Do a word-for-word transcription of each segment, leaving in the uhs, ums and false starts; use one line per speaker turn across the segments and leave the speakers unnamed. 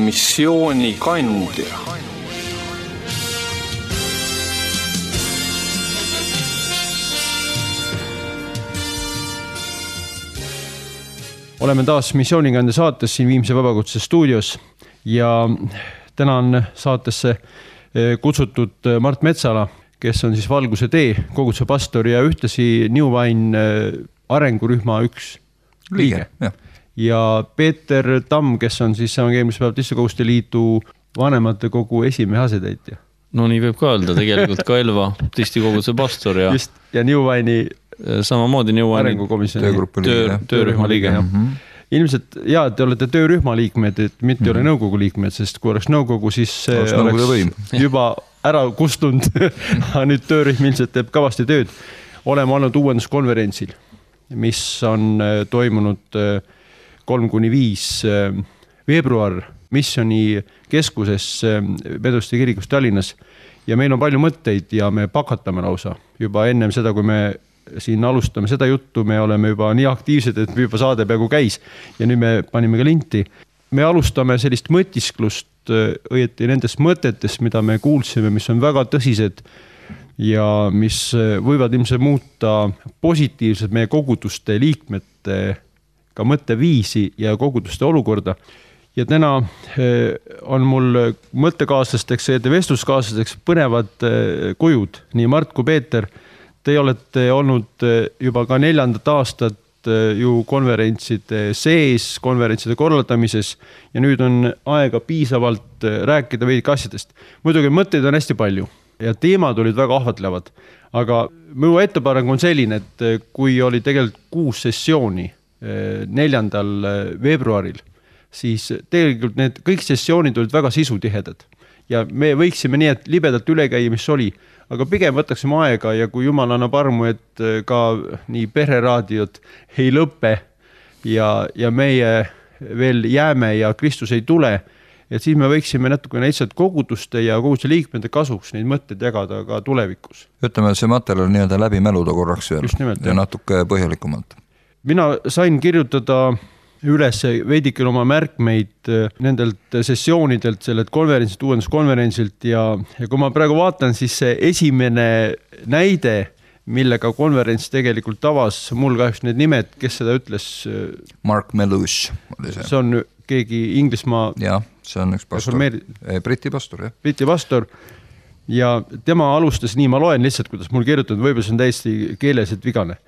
missioonikandja.
Oleme taas missioonikandja saates siin Viimsi Vabakutse stuudios ja täna on saatesse kutsutud Mart Metsala, kes on siis Valguse tee koguduse pastor ja ühtlasi New Wine arengurühma üks liige.
Ja.
ja Peeter Tamm, kes on siis Evangeelmise Baptiste Koguduste Liidu vanemate kogu esimehe asetäitja.
No nii võib ka öelda, tegelikult ka Elva Baptisti koguduse pastor ja,
Just, ja New Wine'i
samamoodi New Wine'i
töö, töörühma liige. Ja. Mm-hmm. Ilmselt, jaa, te olete töörühma liikmed, et mitte mm-hmm. ole nõukogu liikmed, sest kui oleks nõukogu, siis oleks, oleks juba ära kustunud. Nüüd töörühm ilmselt teeb kavasti tööd. Oleme olnud uuenduskonverentsil, mis on toimunud kolm kuni viis veebruar missioni keskuses Meduste kirikus Tallinnas ja meil on palju mõtteid ja me pakatame lausa. Juba ennem seda, kui me siin alustame seda juttu, me oleme juba nii aktiivsed, et juba saade peaaegu käis ja nüüd me panime ka linti. Me alustame sellist mõtisklust õieti nendest mõtetest, mida me kuulsime, mis on väga tõsised ja mis võivad ilmselt muuta positiivselt meie koguduste liikmete ka mõtteviisi ja koguduste olukorda. Ja täna on mul mõttekaaslasteks ja vestluskaaslasteks põnevad kujud, nii Mart kui Peeter. Te olete olnud juba ka neljandat aastat ju konverentside sees, konverentside korraldamises ja nüüd on aega piisavalt rääkida veidike asjadest. Muidugi mõtteid on hästi palju ja teemad olid väga ahvatlevad, aga minu ettepanek on selline, et kui oli tegelikult kuus sessiooni neljandal veebruaril, siis tegelikult need kõik sessioonid olid väga sisutihedad ja me võiksime nii, et libedalt üle käia, mis oli, aga pigem võtaksime aega ja kui Jumal annab armu, et ka nii pereraadiot ei lõpe ja, ja meie veel jääme ja Kristus ei tule, et siis me võiksime natuke lihtsalt koguduste ja koguduste liikmete kasuks neid mõtteid jagada ka tulevikus.
Ütleme, see materjal nii-öelda läbi mäluda korraks veel
nimelt,
ja natuke põhjalikumalt.
Mina sain kirjutada üles veidikil oma märkmeid nendelt sessioonidelt, sellelt konverentsilt, uuenduskonverentsilt ja, ja kui ma praegu vaatan, siis see esimene näide, millega konverents tegelikult tavas, mul kahjuks need nimed, kes seda ütles?
Mark Melush oli see.
See on keegi Inglismaa...
Jah, see on üks pastor. Reformeeri... Briti pastor, jah.
Briti pastor ja tema alustas nii, ma loen lihtsalt, kuidas mul kirjutanud, võib-olla see on täiesti keeleselt vigane.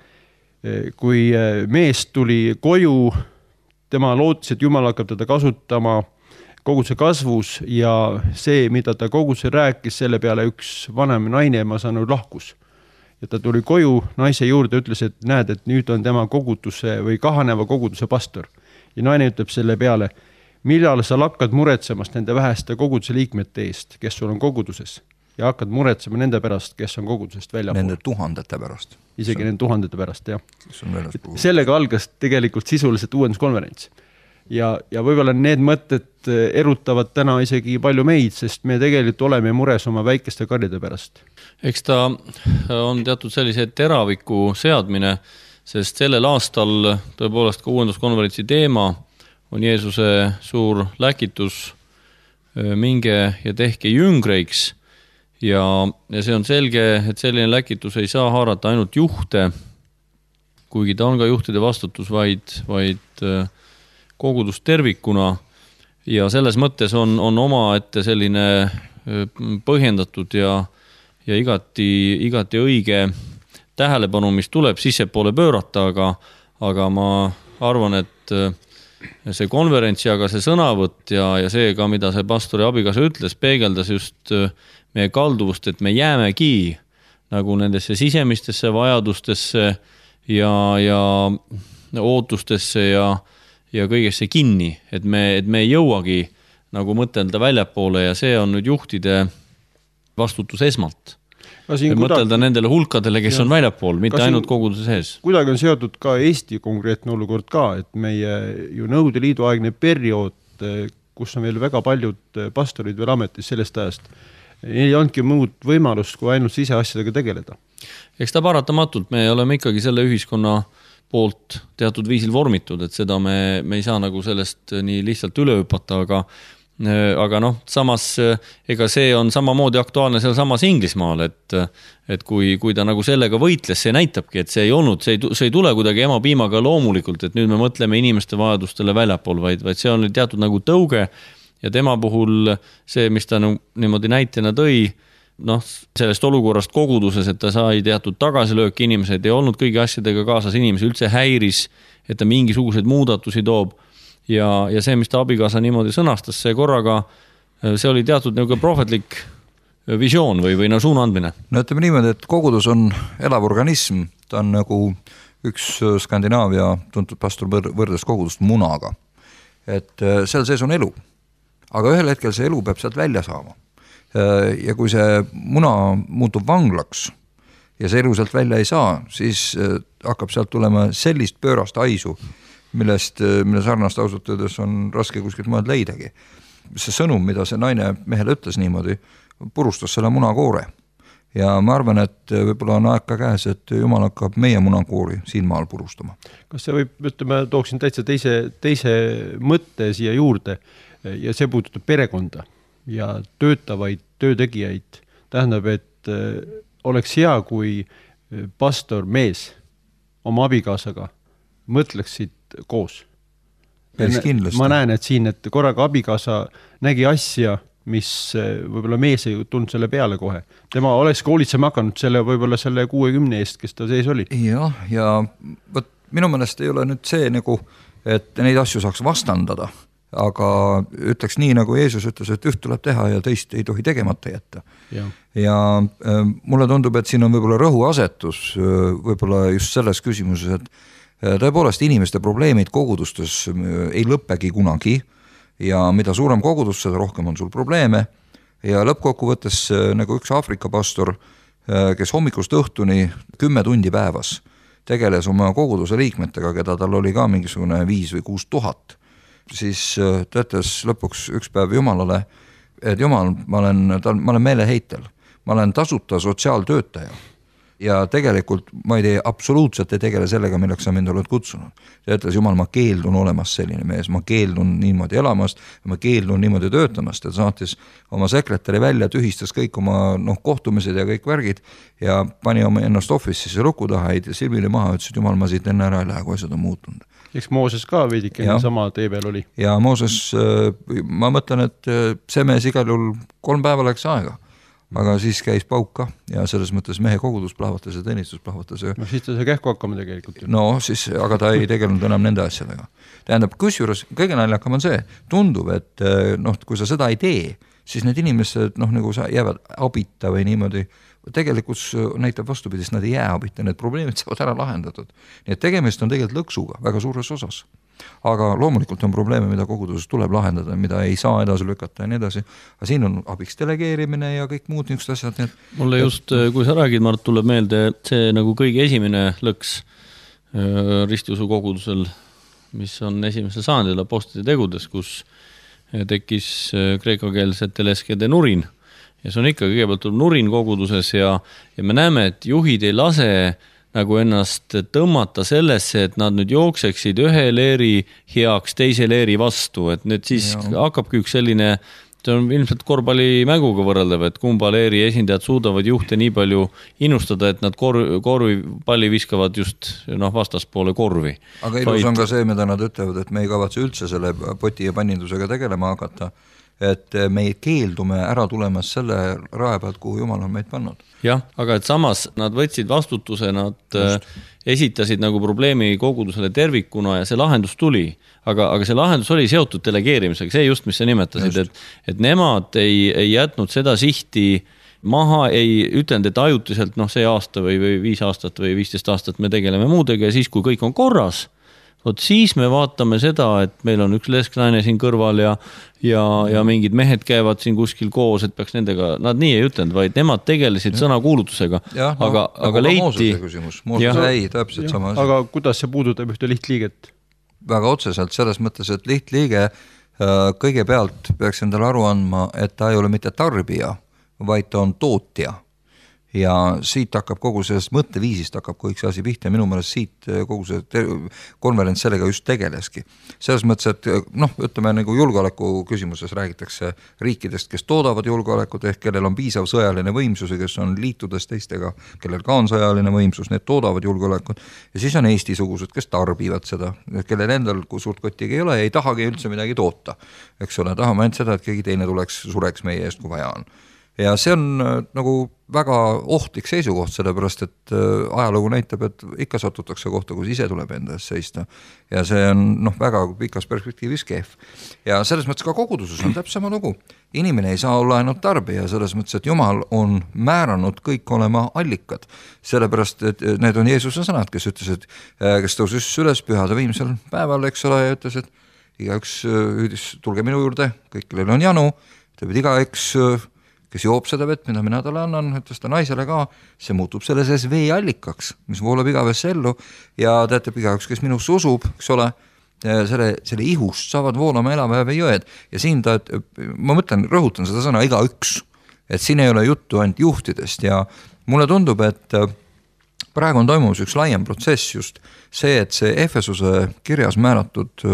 Kui mees tuli koju, tema lootis, et Jumal hakkab teda kasutama koguduse kasvus ja see, mida ta koguduse rääkis, selle peale üks vanem naine, ma saan lahkus. Ja ta tuli koju naise juurde ja ütles, et näed, et nüüd on tema koguduse või kahaneva koguduse pastor. Ja naine ütleb selle peale, millal sa hakkad muretsemast nende väheste koguduse liikmete eest, kes sul on koguduses ja hakkad muretsema nende pärast, kes on kogudusest välja
nende pool. Tuhandete pärast.
Isegi nende tuhandete pärast, jah. Sellega algas tegelikult sisuliselt uuenduskonverents. Ja, ja võib-olla need mõtted erutavad täna isegi palju meid, sest me tegelikult oleme mures oma väikeste karjade pärast.
Eks ta on teatud sellise teraviku seadmine, sest sellel aastal tõepoolest ka uuenduskonverentsi teema on Jeesuse suur läkitus minge ja tehke jüngreiks. Ja, ja see on selge, et selline läkitus ei saa haarata ainult juhte, kuigi ta on ka juhtide vastutus, vaid, vaid kogudus tervikuna. Ja selles mõttes on, on oma ette selline põhjendatud ja, ja igati, igati õige tähelepanu, mis tuleb sissepoole pöörata, aga, aga ma arvan, et see konverents ja ka see sõnavõtt ja, ja see ka, mida see pastori abikaasa ütles, peegeldas just meie kalduvust, et me jäämegi nagu nendesse sisemistesse vajadustesse ja, ja ootustesse ja, ja kõigesse kinni, et me, et me ei jõuagi nagu mõtelda väljapoole ja see on nüüd juhtide vastutus esmalt. Mõtelda kuidagi... nendele hulkadele, kes ja. On väljapool, mitte Kas ainult koguduse sees.
Kuidagi on seotud ka Eesti konkreetne olukord ka, et meie ju Nõukogude Liidu aegne periood, kus on veel väga paljud pastorid veel ametis sellest ajast, ei olnudki muud võimalust, kui ainult siseasjadega tegeleda.
Eks ta paratamatult, me oleme ikkagi selle ühiskonna poolt teatud viisil vormitud, et seda me, me ei saa nagu sellest nii lihtsalt üle hüpata, aga, aga noh, samas ega see on samamoodi aktuaalne seal samas Inglismaal, et, et kui, kui ta nagu sellega võitles, see näitabki, et see ei olnud, see ei, see ei tule kuidagi ema piimaga loomulikult, et nüüd me mõtleme inimeste vajadustele väljapool, vaid, vaid see on teatud nagu tõuge ja tema puhul see, mis ta niimoodi näitena tõi, noh, sellest olukorrast koguduses, et ta sai teatud tagasilööki, inimesed ei olnud kõigi asjadega kaasas, inimesi üldse häiris, et ta mingisuguseid muudatusi toob. Ja, ja see, mis ta abikaasa niimoodi sõnastas, see korraga, see oli teatud nagu prohvetlik visioon või, või no suunaandmine.
No ütleme niimoodi, et kogudus on elav organism, ta on nagu üks Skandinaavia tuntud pastor võrdes kogudust munaga. Et seal sees on elu, aga ühel hetkel see elu peab sealt välja saama. Ja kui see muna muutub vanglaks ja see elu sealt välja ei saa, siis hakkab sealt tulema sellist pöörast haisu, millest, mille sarnast ausalt öeldes on raske kuskilt maad leidagi. See sõnum, mida see naine mehele ütles niimoodi, purustas selle munakoore. Ja ma arvan, et võib-olla on aeg ka käes, et Jumal hakkab meie munakoori siin maal purustama.
Kas see võib, ütleme, tooksin täitsa teise, teise mõtte siia juurde ja see puudutab perekonda ja töötavaid töötegijaid. Tähendab, et oleks hea, kui pastor mees oma abikaasaga mõtleksid koos. Ma näen, et siin, et korraga abikaasa nägi asja, mis võib-olla mees ei tulnud selle peale kohe. Tema oleks koolitsema hakanud selle võib-olla selle kuuekümne eest, kes ta sees oli.
Ja, ja võt, minu meelest ei ole nüüd see nagu, et neid asju saaks vastandada, aga ütleks nii, nagu Jeesus ütles, et üht tuleb teha ja teist ei tohi tegemata jätta. Ja, ja mulle tundub, et siin on võib-olla rõhuasetus võib-olla just selles küsimuses, et tõepoolest inimeste probleemid kogudustes ei lõppegi kunagi ja mida suurem kogudus, seda rohkem on sul probleeme ja lõppkokkuvõttes nagu üks Aafrika pastor, kes hommikust õhtuni kümme tundi päevas tegeles oma koguduse liikmetega, keda tal oli ka mingisugune viis või kuus tuhat, siis ta ütles lõpuks üks päev Jumalale, et Jumal, ma olen, ma olen meeleheitel, ma olen tasuta sotsiaaltöötaja ja tegelikult ma ei tee, absoluutselt ei tegele sellega, milleks sa mind oled kutsunud. Ta ütles, Jumal, ma keeldun olemas selline mees, ma keeldun niimoodi elamast, ma keeldun niimoodi töötamast, et saatis oma sekretäri välja, tühistas kõik oma noh, kohtumised ja kõik värgid ja pani oma ennast office'isse luku taha, heiti silmili maha, ütles, et Jumal, ma siit enne ära ei lähe, kui asjad on muutunud.
Eks Mooses ka veidike sama tee peal oli.
Ja Mooses, ma mõtlen, et see mees igal juhul kolm päeva läks aega. Aga siis käis pauk ka ja selles mõttes mehe kogudus plahvatas ja teenistus plahvatas.
No siis ta sai kähku hakkama tegelikult.
No siis, aga ta ei tegelenud enam nende asjadega. Tähendab, kusjuures kõige naljakam on see, tundub, et noh, kui sa seda ei tee, siis need inimesed noh, nagu sa jäävad abita või niimoodi, tegelikult näitab vastupidist, nad ei jää abita, need probleemid saavad ära lahendatud. Nii et tegemist on tegelikult lõksuga väga suures osas. Aga loomulikult on probleeme, mida koguduses tuleb lahendada, mida ei saa edasi lükata ja nii edasi. Aga siin on abiks delegeerimine ja kõik muud niisugused asjad. Need...
Mulle just, kui sa räägid, Mart, tuleb meelde see nagu kõige esimene lõks ristiusu kogudusel, mis on esimesel sajandil apostlite tegudes, kus tekkis kreekakeelsetele eskede nurin. Ja see on ikka kõigepealt tuleb nurin koguduses ja, ja me näeme, et juhid ei lase nagu ennast tõmmata sellesse, et nad nüüd jookseksid ühe leeri heaks teise leeri vastu, et nüüd siis ja. Hakkabki üks selline, see on ilmselt korvpalli mänguga võrreldav, et kumba leeri esindajad suudavad juhte nii palju innustada, et nad korvi, korvi palli viskavad just noh, vastaspoole korvi.
Aga ilus on ka see, mida nad ütlevad, et me ei kavatse üldse selle poti ja pannindusega tegelema hakata, et me keeldume ära tulemas selle rae pealt, kuhu Jumal on meid pannud.
Jah, aga et samas nad võtsid vastutuse, nad Just. esitasid nagu probleemi kogudusele tervikuna ja see lahendus tuli. Aga, aga see lahendus oli seotud delegeerimisega, see just, mis sa nimetasid, et, et nemad ei, ei jätnud seda sihti maha, ei ütlenud, et ajutiselt noh, see aasta või, või viis aastat või viisteist aastat me tegeleme muudega ja siis, kui kõik on korras, Vot siis me vaatame seda, et meil on üks lesknaine siin kõrval ja, ja, ja mingid mehed käivad siin kuskil koos, et peaks nendega, nad nii ei ütlenud, vaid nemad tegelesid ja. Sõnakuulutusega.
Ja, no, aga, aga leiti... Mooses ei, täpselt ja. Sama asi.
Aga kuidas see puudutab ühte lihtliiget?
Väga otseselt selles mõttes, et lihtliige kõigepealt peaks endale aru andma, et ta ei ole mitte tarbija, vaid ta on tootja. ja siit hakkab kogu sellest mõtteviisist hakkab kõik see asi pihta ja minu meelest siit kogu see konverents sellega just tegeleski. Selles mõttes, et noh, ütleme nagu julgeoleku küsimuses räägitakse riikidest, kes toodavad julgeolekut ehk kellel on piisav sõjaline võimsus ja kes on liitudes teistega, kellel ka on sõjaline võimsus, need toodavad julgeolekut ja siis on Eesti-sugused, kes tarbivad seda, kellel endal suurt kottigi ei ole ja ei tahagi üldse midagi toota. Eks ole, tahame ainult seda, et keegi teine tuleks, sureks meie eest, kui vaja on. Ja see on nagu väga ohtlik seisukoht, sellepärast, et ajalugu näitab, et ikka satutakse kohta, kus ise tuleb enda eest seista. Ja see on noh, väga pikas perspektiivis kehv. Ja selles mõttes ka koguduses on täpselt sama lugu. Inimene ei saa olla ainult tarbija, selles mõttes, et Jumal on määranud kõik olema allikad. Sellepärast, et need on Jeesuse sõnad, kes ütles, et kes tõusis üles pühade viimsel päeval, eks ole, ja ütles, et igaüks hüüdis, tulge minu juurde, kõik, kellel on janu, teeb igaüks kes joob seda vett, mida mina talle annan, ütles ta naisele ka, see muutub selle sees veeallikaks, mis voolab igavesse ellu ja teatab igaüks, kes minusse usub, eks ole, selle, selle ihust saavad voolama elapäeva jõed ja siin ta, ma mõtlen, rõhutan seda sõna igaüks, et siin ei ole juttu ainult juhtidest ja mulle tundub, et praegu on toimumus üks laiem protsess just see, et see Efesuse kirjas määratud,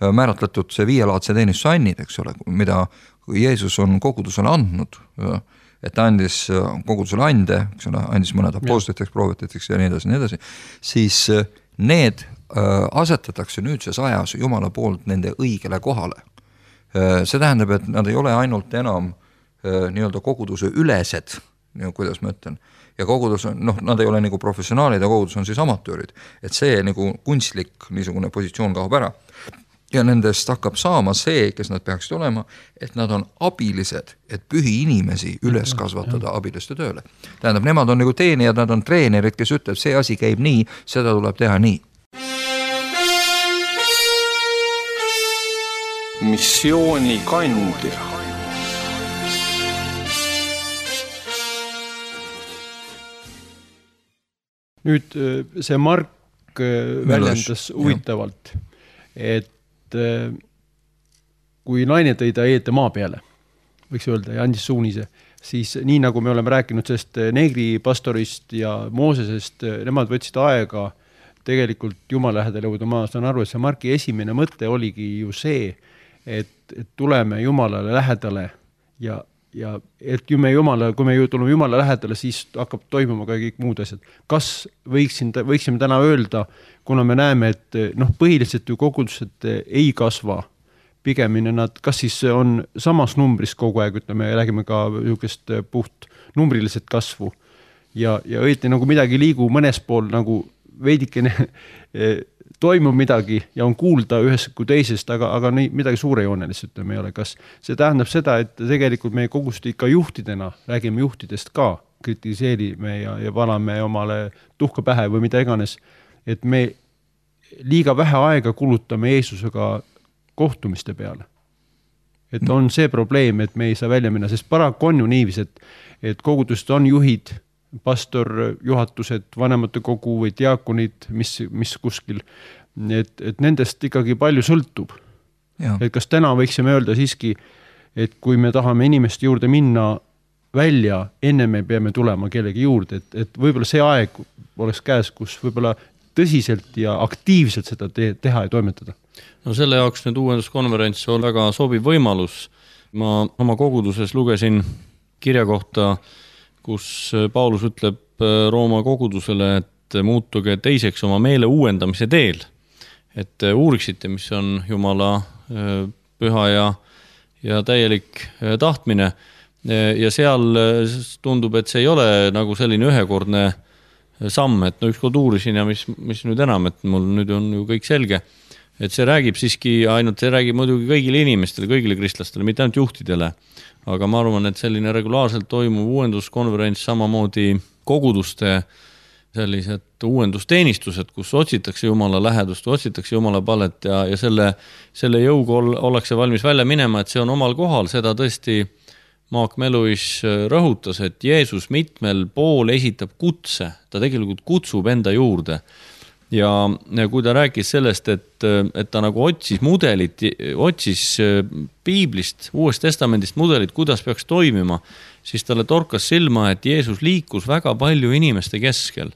määratletud see viielaadse teenistuse annid, eks ole, mida Jeesus on kogudusele andnud, et ta andis kogudusele ande, eks ole, andis mõned apostliteks, proovititeks ja nii edasi, nii edasi, siis need asetatakse nüüdses ajas Jumala poolt nende õigele kohale. See tähendab, et nad ei ole ainult enam nii-öelda koguduse ülesed, kuidas ma ütlen, ja kogudus on, noh, nad ei ole nagu professionaalid ja kogudus on siis amatöörid, et see nagu kunstlik niisugune positsioon kaob ära. Ja nendest hakkab saama see, kes nad peaksid olema, et nad on abilised, et pühi inimesi üles kasvatada abiliste tööle. Tähendab, nemad on nagu teenijad, nad on treenerid, kes ütleb, see asi käib nii, seda tuleb teha nii.
Missiooni kandja. Nüüd see Mark väljendas huvitavalt, et kui naine tõi ta eete maa peale, võiks öelda, ja andis suunise, siis nii nagu me oleme rääkinud sellest neegri pastorist ja Moosesest, nemad võtsid aega tegelikult Jumala lähedale jõuda. Ma saan aru, et see Marki esimene mõte oligi ju see, et, et tuleme Jumalale lähedale ja, ja et kui me, Jumala, kui me tuleme Jumala lähedale, siis hakkab toimuma ka kõik muud asjad. Kas võiksin, võiksime täna öelda, kuna me näeme, et noh, põhiliselt ju kogudused ei kasva, pigemini nad, kas siis on samas numbris kogu aeg, ütleme, räägime ka niisugust puht numbriliselt kasvu ja, ja õieti nagu midagi liigu mõnes pool nagu veidikene toimub midagi ja on kuulda ühest kui teisest, aga, aga nii, midagi suurejoonelist ütleme ei ole. Kas see tähendab seda, et tegelikult meie kogust ikka juhtidena, räägime juhtidest ka, kritiseerime ja, ja valame omale tuhka pähe või mida iganes, et me liiga vähe aega kulutame Jeesusega kohtumiste peale. Et on see probleem, et me ei saa välja minna, sest paraku on ju niivis, et, et kogudust on juhid, pastor, juhatused, vanemate kogu või diakonid, mis, mis kuskil, et, et nendest ikkagi palju sõltub. Ja. Et kas täna võiksime öelda siiski, et kui me tahame inimeste juurde minna välja, enne me peame tulema kellegi juurde, et, et võib-olla see aeg oleks käes, kus võib-olla tõsiselt ja aktiivselt seda te- teha ja toimetada.
No selle jaoks nüüd uuenduskonverents on väga sobiv võimalus. Ma oma koguduses lugesin kirja kohta, kus Paulus ütleb Rooma kogudusele, et muutuge teiseks oma meele uuendamise teel. Et uuriksite, mis on Jumala püha ja, ja täielik tahtmine. Ja seal tundub, et see ei ole nagu selline ühekordne samm, et no ükskord uurisin ja mis, mis nüüd enam, et mul nüüd on ju kõik selge. Et see räägib siiski ainult, see räägib muidugi kõigile inimestele, kõigile kristlastele, mitte ainult juhtidele. Aga ma arvan, et selline regulaarselt toimuv uuenduskonverents, samamoodi koguduste sellised uuendusteenistused, kus otsitakse Jumala lähedust, otsitakse Jumala palet ja, ja selle, selle jõuga ollakse valmis välja minema, et see on omal kohal, seda tõesti Maak Meluis rõhutas, et Jeesus mitmel pool esitab kutse, ta tegelikult kutsub enda juurde. Ja kui ta rääkis sellest, et, et ta nagu otsis mudelit, otsis Piiblist, Uuest Testamendist mudelit, kuidas peaks toimima, siis talle torkas silma, et Jeesus liikus väga palju inimeste keskel.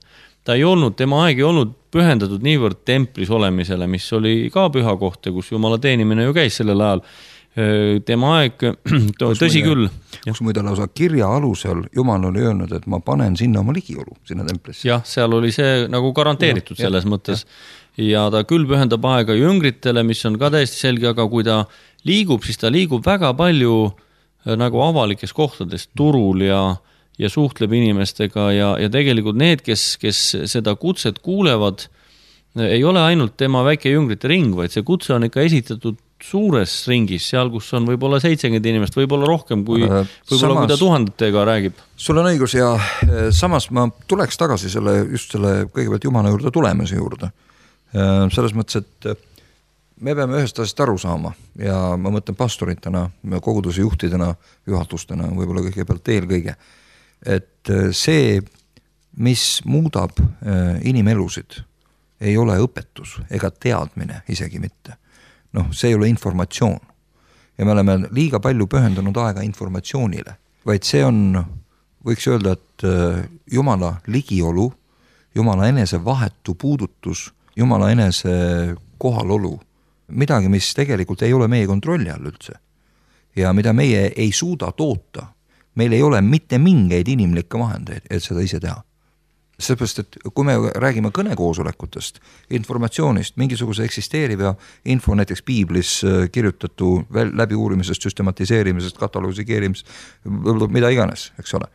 Ta ei olnud, tema aeg ei olnud pühendatud niivõrd templis olemisele, mis oli ka püha koht, kus Jumala teenimine ju käis sellel ajal. Tema aeg, tõsi küll.
Kus muide lausa kirja alusel Jumal oli öelnud, et ma panen sinna oma ligiolu, sinna templisse.
Jah, seal oli see nagu garanteeritud ja, selles ja, mõttes. Ja. ja ta küll pühendab aega jüngritele, mis on ka täiesti selge, aga kui ta liigub, siis ta liigub väga palju nagu avalikes kohtades, turul ja, ja suhtleb inimestega ja, ja tegelikult need, kes, kes seda kutset kuulevad, ei ole ainult tema väike jüngrite ring, vaid see kutse on ikka esitatud suures ringis, seal, kus on võib-olla seitsekümmend inimest, võib-olla rohkem, kui, võib-olla kui ta tuhandetega räägib.
Sul on õigus ja samas ma tuleks tagasi selle, just selle kõigepealt Jumala juurde tulemise juurde. Selles mõttes, et me peame ühest asjast aru saama ja ma mõtlen pastoritena, koguduse juhtidena, juhatustena, võib-olla kõigepealt eelkõige, et see, mis muudab inimelusid, ei ole õpetus ega teadmine isegi mitte. Noh, see ei ole informatsioon. Ja me oleme liiga palju pühendunud aega informatsioonile, vaid see on, võiks öelda, et Jumala ligiolu, Jumala enese vahetu puudutus, Jumala enese kohalolu, midagi, mis tegelikult ei ole meie kontrolli all üldse. Ja mida meie ei suuda toota, meil ei ole mitte mingeid inimlikke vahendeid, et seda ise teha. Seepärast, et kui me räägime kõnekoosolekutest, informatsioonist, mingisuguse eksisteeriva info näiteks piiblis kirjutatu läbi uurimisest, süstematiseerimisest, katalogiseerimisest, mida iganes, eks ole.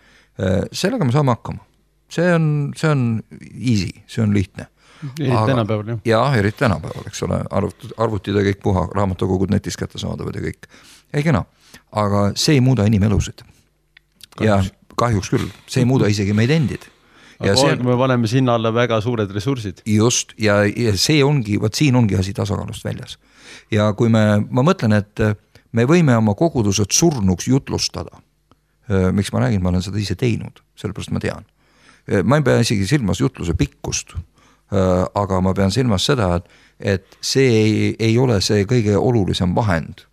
Sellega me saame hakkama. See on, see on easy, see on lihtne.
Eriti tänapäeval, jah.
Jah, eriti tänapäeval, eks ole. Arvutid ja kõik puha, raamatokogud netis kätte saadavad ja kõik. Ei kena. Aga see ei muuda inimelusid. Ja kahjuks küll, see ei muuda isegi meid endid.
Aga see, me paneme sinna alla väga suured ressursid.
Just, ja, ja see ongi, võt siin ongi asi tasakaalust väljas. Ja kui me, ma mõtlen, et me võime oma kogudused surnuks jutlustada. Miks ma räägin, ma olen seda ise teinud, sellepärast ma tean. Ma ei pea isegi silmas jutluse pikkust, aga ma pean silmas seda, et, et see ei, ei ole see kõige olulisem vahend.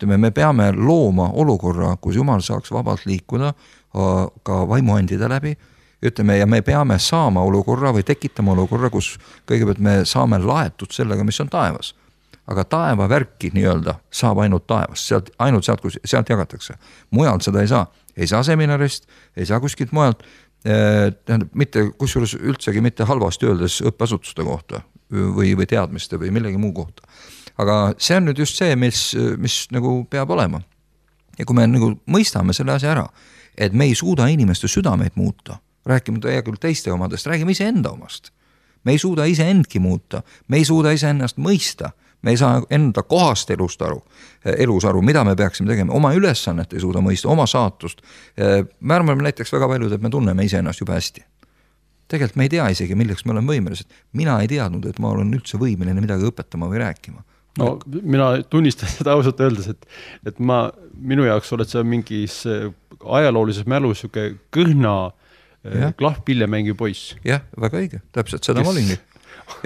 Me peame looma olukorra, kus Jumal saaks vabalt liikuda ka vaimuandide läbi, ütleme, ja me peame saama olukorra või tekitama olukorra, kus kõigepealt me saame laetud sellega, mis on taevas. Aga taeva värki nii-öelda saab ainult taevas, sealt, ainult sealt, kus sealt jagatakse. Mujalt seda ei saa. Ei saa seminarist, ei saa kuskilt mujalt, eh, mitte, kusjuures üldsegi mitte halvasti öeldes õppeasutuste kohta või, või teadmiste või millegi muu kohta. Aga see on nüüd just see, mis, mis nagu peab olema. Ja kui me nagu mõistame selle asja ära, et me ei suuda inimeste südameid muuta, räägime ta küll teiste omadest, räägime ise enda omast. Me ei suuda ise endki muuta, me ei suuda ise ennast mõista, me ei saa enda kohast elust aru, elus aru, mida me peaksime tegema, oma ülesannet ei suuda mõista, oma saatust. Me arvame näiteks väga paljud, et me tunneme ise ennast juba hästi. Tegelikult me ei tea isegi, milleks me oleme võimelised. Mina ei teadnud, et ma olen üldse võimeline midagi õpetama või rääkima.
No, mina tunnistan seda ausalt öeldes, et, et ma, minu jaoks oled sa mingis ajaloolises mälus siuke kõhna ja. Klahv pilli mängi poiss.
Jah, väga õige, täpselt seda yes. ma olingi.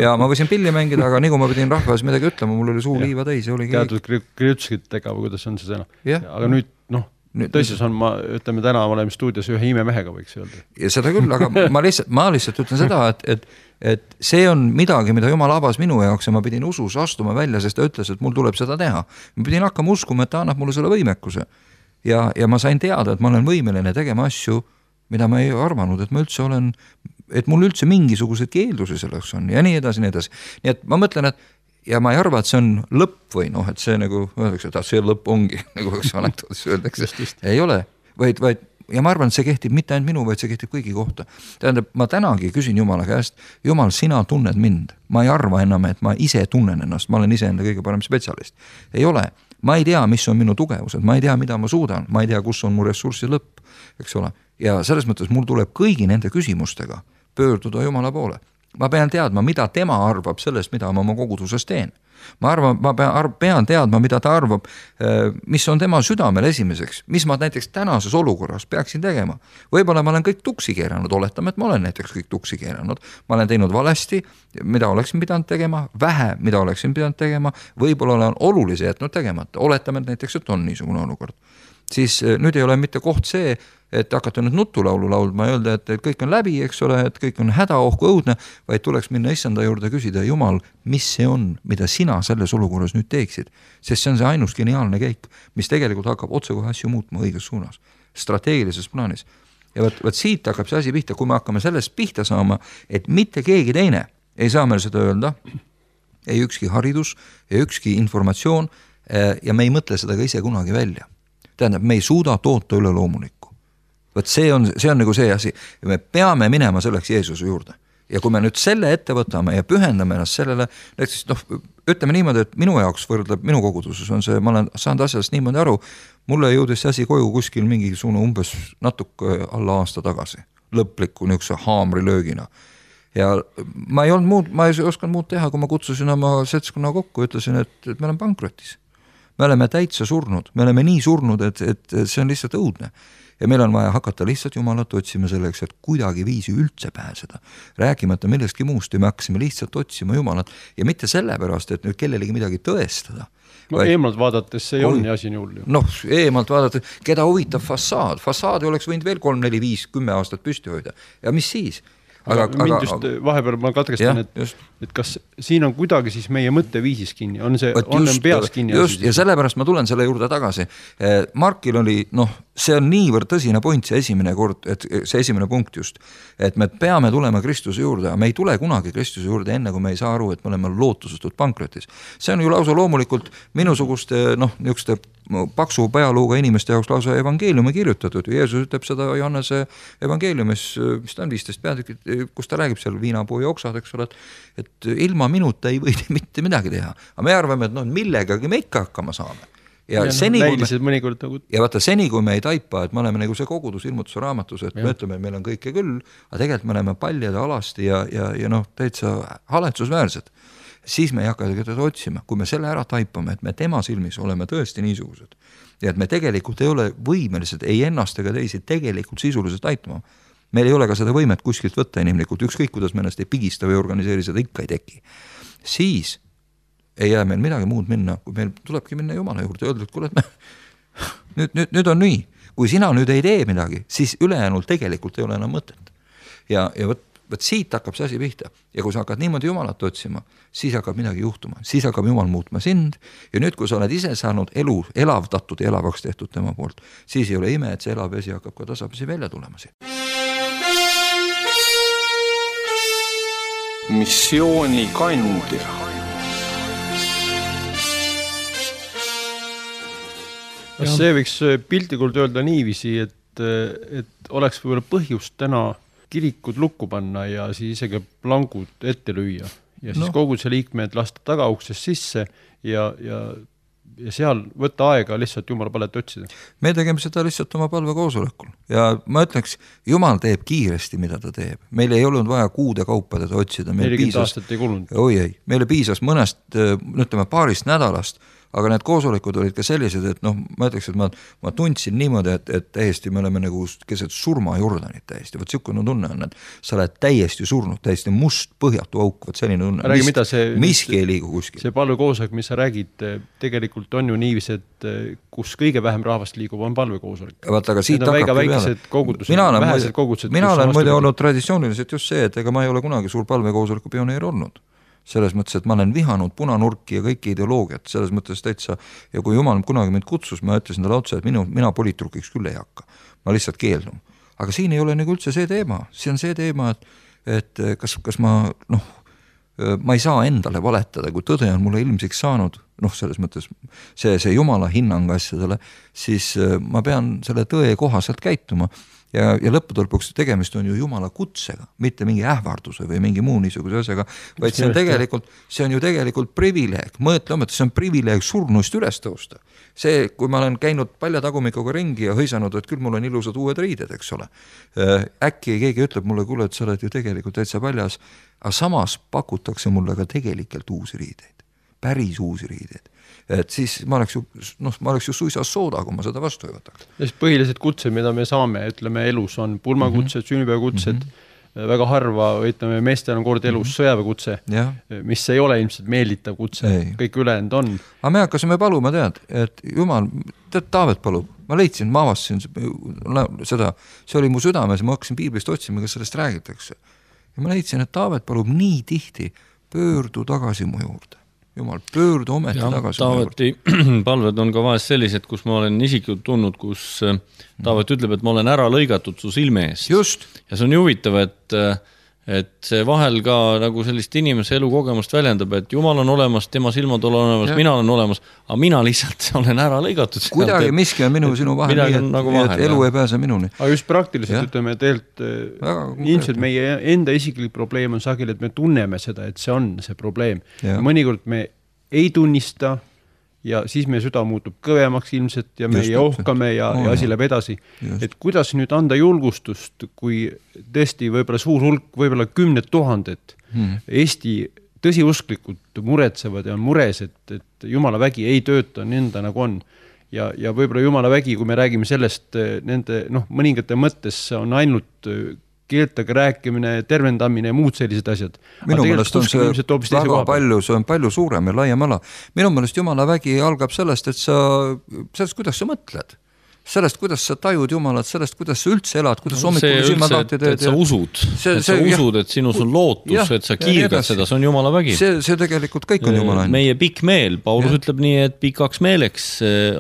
Ja ma võisin pilli mängida, aga nii kui ma pidin rahvas midagi ütlema, mul oli suu liiva täis ja oligi
teatud kriutskitega või kuidas on see sõna.
Ja.
Aga nüüd, noh, tõstis on, ma ütleme täna oleme stuudios ühe imemehega võiks öelda.
Ja seda küll, aga ma lihtsalt, ma lihtsalt ütlen seda, et, et, et see on midagi, mida Jumal avas minu jaoks ja ma pidin usus astuma välja, sest ta ütles, et mul tuleb seda teha. Ma pidin hakkama uskuma, et ta annab mulle selle võimekuse. Ja, ja ma sain teada, et ma olen võimeline tegema asju, mida ma ei arvanud, et ma üldse olen, et mul üldse mingisugused keeldusi selleks on ja nii edasi, nii edasi. Nii et ma mõtlen, et ja ma ei arva, et see on lõpp või noh, et see nagu öeldakse, et see lõpp ongi, nagu üks anekdoodis öeldakse. Ei ole, vaid, vaid ja ma arvan, et see kehtib mitte ainult minu, vaid see kehtib kõigi kohta. Tähendab, ma tänagi küsin Jumala käest, Jumal, sina tunned mind. Ma ei arva enam, et ma ise tunnen ennast, ma olen ise enda kõige parem spetsialist. Ei ole. Ma ei tea, mis on minu tugevused, ma ei tea, mida ma suudan, ma ei tea, kus on mu ressurssi lõpp, eks ole. Ja selles mõttes mul tuleb kõigi nende küsimustega pöörduda Jumala poole. Ma pean teadma, mida tema arvab sellest, mida ma oma koguduses teen. Ma arvan, ma pean, pean teadma, mida ta arvab, mis on tema südamel esimeseks, mis ma näiteks tänases olukorras peaksin tegema. Võib-olla ma olen kõik tuksi keeranud, oletame, et ma olen näiteks kõik tuksi keeranud. Ma olen teinud valesti, mida oleksin pidanud tegema, vähe, mida oleksin pidanud tegema, võib-olla olen olulise jätnud tegemata. Oletame, et näiteks, et on niisugune olukord. siis nüüd ei ole mitte koht see, et hakata nüüd nutulaulu laulma ja öelda, et, et kõik on läbi, eks ole, et kõik on hädaohku õudne, vaid tuleks minna issanda juurde küsida, Jumal, mis see on, mida sina selles olukorras nüüd teeksid, sest see on see ainus geniaalne käik, mis tegelikult hakkab otsekohe asju muutma õiges suunas, strateegilises plaanis. Ja võt, võt siit hakkab see asi pihta, kui me hakkame sellest pihta saama, et mitte keegi teine ei saa meil seda öelda, ei ükski haridus, ei ükski informatsioon ja me ei mõtle seda ka ise kunagi välja. Tähendab, me ei suuda toota üle loomulikku. Võt see on, see on nagu see asi ja me peame minema selleks Jeesuse juurde. Ja kui me nüüd selle ette võtame ja pühendame ennast sellele, näiteks noh, ütleme niimoodi, et minu jaoks võrdleb minu koguduses on see, ma olen saanud asjast niimoodi aru, mulle jõudis see asi koju kuskil mingisugune umbes natuke alla aasta tagasi, lõpliku niisuguse haamrilöögina. Ja ma ei olnud muud, ma ei osanud muud teha, kui ma kutsusin oma seltskonna kokku, ütlesin, et, et me oleme pankrotis. Me oleme täitsa surnud, me oleme nii surnud, et, et see on lihtsalt õudne. Ja meil on vaja hakata lihtsalt Jumalat otsima selleks, et kuidagi viisi üldse pääseda. Rääkimata millestki muust ja me hakkasime lihtsalt otsima Jumalat ja mitte sellepärast, et nüüd kellelegi midagi tõestada.
No vaid, eemalt vaadates see on ja asi nii.
Noh, eemalt vaadates, keda huvitab fassaad. Fassaadi oleks võinud veel kolm, neli, viis, kümme aastat püsti hoida. Ja mis siis?
Aga, aga mind just vahepeal ma katkestan, et, et kas siin on kuidagi siis meie mõtteviisis kinni, on see just, on peas kinni?
Just, ja sellepärast ma tulen selle juurde tagasi. Markil oli, noh, see on niivõrd tõsine point, see esimene kord, et see esimene punkt just, et me peame tulema Kristuse juurde, aga me ei tule kunagi Kristuse juurde enne, kui me ei saa aru, et me oleme lootusetult pankrotis. See on ju lausa loomulikult minusuguste, noh, niisuguste paksu pealuuga inimeste jaoks lausa evangeeliumi kirjutatud. Jeesus ütleb seda Johannese evangeeliumis, mis ta on viisteist peatükid, kus ta räägib seal viinapuu ja oksad, eks ole, et, et ilma minuta ei või mitte midagi teha. Aga me arvame, et no millegagi me ikka hakkama saame. Ja, ja, seni,
no,
me,
mõnikord, nagu...
ja vaata, seni kui me ei taipa, et me oleme nagu see kogudus ilmutuse raamatus, et ja. Me ütleme, et meil on kõike küll, aga tegelikult me oleme paljad alasti ja, ja, ja noh, täitsa haletsusväärsed. Siis me ei hakka teda otsima, kui me selle ära taipame, et me tema silmis oleme tõesti niisugused ja et me tegelikult ei ole võimelised, ei ennast ega teisi tegelikult sisuliselt aitama. Meil ei ole ka seda võimet kuskilt võtta inimlikult, ükskõik kuidas me ennast ei pigista või organiseeri, seda ikka ei teki. Siis ei jää meil midagi muud minna, kui meil tulebki minna Jumala juurde ja öelda, et kuule, et me... nüüd, nüüd, nüüd on nii. Kui sina nüüd ei tee midagi, siis ülejäänul tegelikult ei ole enam mõtet. Ja, ja võt, võt siit hakkab see asi pihta. Ja kui sa hakkad niimoodi Jumalat otsima, siis hakkab midagi juhtuma. Siis hakkab Jumal muutma sind. Ja nüüd, kui sa oled ise saanud elu elavdatud ja elavaks tehtud tema poolt, siis ei ole ime, et see elav vesi hakkab ka tasapisi välja tulema siin.
Missiooni kandja.
Kas see võiks piltlikult öelda niiviisi, et, et oleks võib-olla põhjust täna kirikud lukku panna ja siis isegi plangud ette lüüa ja siis no. Kogu see liikmed lasta tagauksest sisse ja, ja, ja seal võtta aega lihtsalt Jumala palet otsida.
Me tegeme seda lihtsalt oma palvekoosolekul ja ma ütleks, Jumal teeb kiiresti, mida ta teeb. Meil ei olnud vaja kuude kaupa teda otsida.
nelikümmend aastat ei kulunud.
Oi ei, meile piisas mõnest, ütleme paarist nädalast, aga need koosolekud olid ka sellised, et noh, ma ütleks, et ma, ma tundsin niimoodi, et, et täiesti me oleme nagu keset surma Jordanit täiesti. Võt siukene tunne on, et sa oled täiesti surnud, täiesti must põhjatu auk, võt selline tunne.
Räägi, mida see,
miski ei liigu kuskil.
See palvekoosolek, mis sa räägid, tegelikult on ju niivis, et kus kõige vähem rahvast liigub, on palvekoosolek.
Vaat, aga siit
hakkabki peale. Kogudused,
mina olen, muide, kogudused, mina olen muide olnud traditsiooniliselt just see, et ega ma ei ole kunagi suur palvekoosoleku pioneer olnud. Selles mõttes, et ma olen vihanud punanurki ja kõiki ideoloogiat, selles mõttes täitsa, ja kui Jumal kunagi mind kutsus, ma ütlesin talle otsa, et minu, mina poliitrukiks küll ei hakka. Ma lihtsalt keeldun. Aga siin ei ole nagu üldse see teema. See on see teema, et, et kas, kas ma, noh, ma ei saa endale valetada, kui tõde on mulle ilmsiks saanud, noh, selles mõttes see, see Jumala hinnang asjadele, siis ma pean selle tõe kohaselt käituma. Ja, ja lõppude lõpuks tegemist on ju Jumala kutsega, mitte mingi ähvarduse või mingi muu niisuguse asjaga, vaid see on tegelikult, see on ju tegelikult privileeg. Mõtleme, et see on privileeg surnuist üles tõusta. See, kui ma olen käinud paljatagumikuga ringi ja hõisanud, et küll mul on ilusad uued riided, eks ole. Äkki keegi ütleb mulle, kuule, et sa oled ju tegelikult täitsa paljas, aga samas pakutakse mulle ka tegelikult uusi riideid, päris uusi riideid. Et siis ma oleks ju, noh, ma oleks ju suisa sooda, kui ma seda vastu ei võtaks.
Ja siis põhilised kutsed, mida me saame, ütleme elus on pulmakutsed, mm -hmm. sünnipäevakutsed, mm -hmm. väga harva, ütleme, meestel on kord elus sõjaväekutse, mis ei ole ilmselt meelditav kutse, ei. Kõik ülejäänud on.
Aga me hakkasime paluma, tead, et jumal, tead, Taavet palub, ma leidsin, ma avastasin seda, see oli mu südames, ma hakkasin piiblist otsima, kas sellest räägitakse. Ja ma leidsin, et Taavet palub nii tihti, pöördu tagasi mu juurde. Jumal, pöördu ometi ja, tagasi
Taaveti palved on ka vahest sellised, kus ma olen isiklikult tundnud, kus Taavet ütleb, et ma olen ära lõigatud su silme eest.
Just.
Ja see on huvitav, et, et see vahel ka nagu sellist inimese elukogemust väljendab, et Jumal on olemas, tema silmad on olemas, ja. Mina olen olemas, aga mina lihtsalt olen ära lõigatud.
Kuidagi et, miski on minu ja sinu vahel, nii et, nagu vahel, et elu ja. Ei pääse minuni.
Aga just praktiliselt ja. Ütleme, et eilt, ilmselt meie enda isiklik probleem on sageli, et me tunneme seda, et see on see probleem. Ja. Mõnikord me ei tunnista ja siis meie süda muutub kõvemaks ilmselt ja me just, ohkame ja, oh, ja asi läheb edasi. Just. Et kuidas nüüd anda julgustust, kui tõesti võib-olla suur hulk, võib-olla kümned tuhanded hmm. Eesti tõsiusklikud muretsevad ja on mures, et, et Jumala vägi ei tööta nenda nagu on. Ja, ja võib-olla Jumala vägi, kui me räägime sellest, nende noh, mõningate mõttes on ainult keeltega rääkimine, tervendamine ja muud sellised asjad.
Minu meelest on see väga palju, see on palju suurem ja laiem ala. Minu meelest Jumala vägi algab sellest, et sa, sellest, kuidas sa mõtled. Sellest, kuidas sa tajud Jumalat, sellest, kuidas sa üldse elad, kuidas no, hommikul silmad lahti teed.
Et sa usud, see, et sa see, usud, et sinus on lootus, jah, et sa kiirgad seda, see on Jumala vägi.
See, see tegelikult kõik on Jumala.
Meie pikk meel, Paulus ja. Ütleb nii, et pikaks meeleks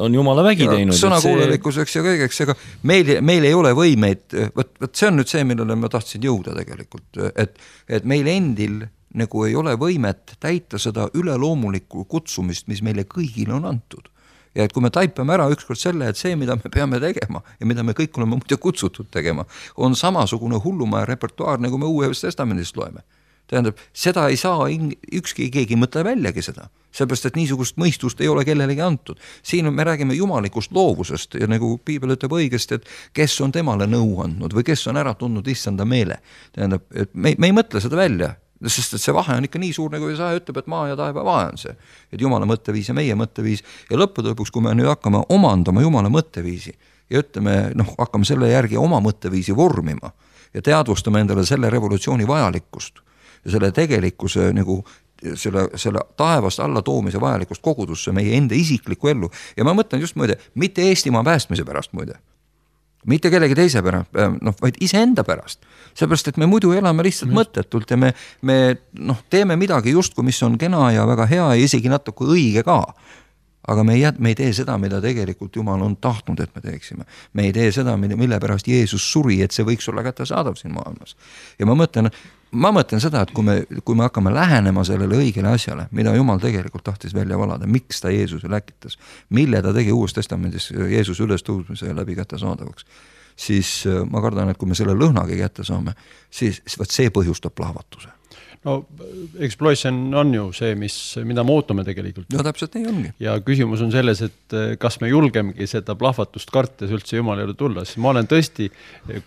on Jumala vägi ja, teinud.
Sõnakuulelikkuseks ja kõigeks, aga meil, meil ei ole võimeid, võt, võt see on nüüd see, millele ma tahtsin jõuda tegelikult, et, et meil endil nagu ei ole võimet täita seda üleloomulikku kutsumist, mis meile kõigile on antud. Ja et kui me taipame ära ükskord selle, et see, mida me peame tegema ja mida me kõik oleme muide kutsutud tegema, on samasugune hullumaja repertuaar, nagu me Uues Testamendist loeme. Tähendab, seda ei saa, ükski keegi mõtle väljagi seda, sellepärast, et niisugust mõistust ei ole kellelegi antud. Siin me räägime jumalikust loovusest ja nagu Piibel ütleb õigesti, et kes on temale nõu andnud või kes on ära tundnud issanda meele. Tähendab, et me, me ei mõtle seda välja, sest et see vahe on ikka nii suur, nagu Jesaja ütleb, et maa ja taeva vahe on see. Et Jumala mõtteviis ja meie mõtteviis ja lõppude lõpuks, kui me nüüd hakkame omandama Jumala mõtteviisi ja ütleme, noh, hakkame selle järgi oma mõtteviisi vormima ja teadvustame endale selle revolutsiooni vajalikkust ja selle tegelikkuse nagu selle, selle taevast alla toomise vajalikkust kogudusse meie enda isiklikku ellu. Ja ma mõtlen just muide, mitte Eestimaa päästmise pärast muide. Mitte kellegi teise pärast, noh, vaid iseenda pärast. Seepärast, et me muidu elame lihtsalt mm. mõttetult ja me, me noh, teeme midagi justkui, mis on kena ja väga hea ja isegi natuke õige ka. Aga me ei, me ei tee seda, mida tegelikult Jumal on tahtnud, et me teeksime. Me ei tee seda, mille pärast Jeesus suri, et see võiks olla kättesaadav siin maailmas. Ja ma mõtlen, ma mõtlen seda, et kui me, kui me hakkame lähenema sellele õigele asjale, mida Jumal tegelikult tahtis välja valada, miks ta Jeesuse läkitas, mille ta tegi Uues Testamendis Jeesus üles tõusmise läbi kättesaadavaks, siis ma kardan, et kui me selle lõhnagi kätte saame, siis see põhjustab plahvatuse.
No explosion on ju see, mis, mida me ootame tegelikult.
No täpselt nii ongi.
Ja küsimus on selles, et kas me julgemegi seda plahvatust kartes üldse Jumala juurde tulla. Siis ma olen tõesti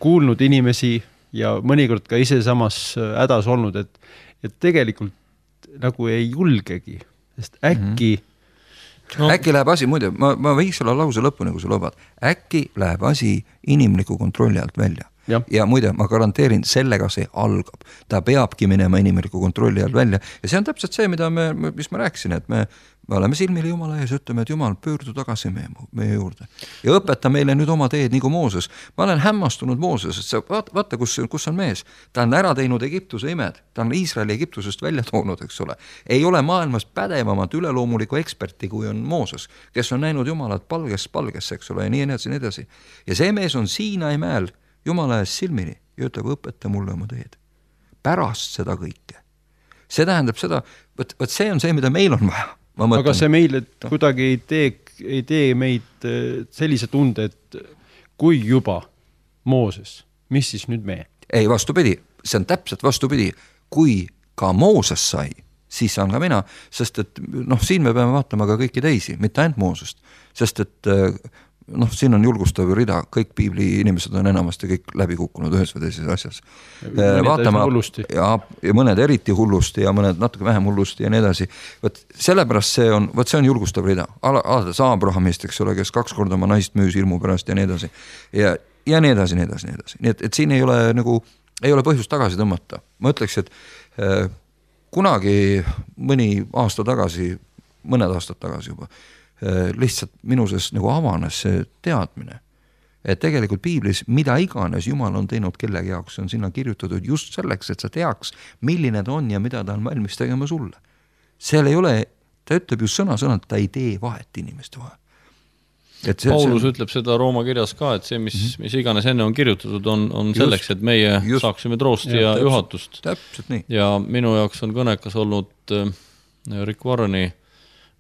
kuulnud inimesi ja mõnikord ka ise samas hädas olnud, et, et tegelikult nagu ei julgegi, sest äkki
mm-hmm. no. äkki läheb asi, muide, ma, ma võiks selle lause lõppu, nagu sa lubad, äkki läheb asi inimliku kontrolli alt välja. Ja. ja muide, ma garanteerin, sellega see algab. Ta peabki minema inimliku kontrolli all välja ja see on täpselt see, mida me, mis ma rääkisin, et me, me oleme silmili Jumala ees, ütleme, et Jumal, pöördu tagasi meie, meie juurde ja õpeta meile nüüd oma teed nagu Mooses. Ma olen hämmastunud Mooses, et sa vaata, vaata kus, kus on mees. Ta on ära teinud Egiptuse imed, ta on Iisraeli Egiptusest välja toonud, eks ole. Ei ole maailmas pädevamat üleloomuliku eksperti, kui on Mooses, kes on näinud Jumalat palgest palgesse, eks ole, ja nii edasi, nii edasi. Ja see mees on Siinai mäel Jumala ees silmini ja ütleb, õpeta mulle oma teed. Pärast seda kõike. See tähendab seda, võt, võt see on see, mida meil on vaja.
Aga see meil kuidagi ei tee, ei tee meid sellise tunde, et kui juba Mooses, mis siis nüüd me?
Ei, vastupidi. See on täpselt vastupidi. Kui ka Mooses sai, siis saan ka mina, sest et noh, siin me peame vaatama ka kõiki teisi, mitte ainult Moosest, sest et noh, siin on julgustav rida, kõik piibli inimesed on enamasti kõik läbi kukkunud ühes või teises asjas. Vaatama, ja, ja mõned eriti hullusti ja mõned natuke vähem hullusti ja nii edasi. Võt, sellepärast see on, võt see on julgustav rida. Alates Abrahamist, eks ole, kes kaks korda oma naist müüs ilmu pärast ja nii edasi. Ja, ja nii edasi, nii edasi, nii edasi. Nii et, et siin ei ole nagu ei ole põhjust tagasi tõmmata. Ma ütleks, et äh, kunagi mõni aasta tagasi, mõned aastad tagasi juba, äh, lihtsalt minuses nagu avanes see teadmine, et tegelikult piiblis mida iganes Jumal on teinud kellegi jaoks, on sinna kirjutatud just selleks, et sa teaks, milline ta on ja mida ta on valmis tegema sulle. Seal ei ole, ta ütleb ju sõna-sõnalt, ta ei tee vahet inimeste vahel. Et see,
Paulus
see...
ütleb seda Rooma kirjas ka, et see, mis, mm-hmm. mis iganes enne on kirjutatud, on, on just, selleks, et meie just, saaksime troosti ja, ja täpselt, juhatust.
Täpselt nii.
Ja minu jaoks on kõnekas olnud äh, Rick Warreni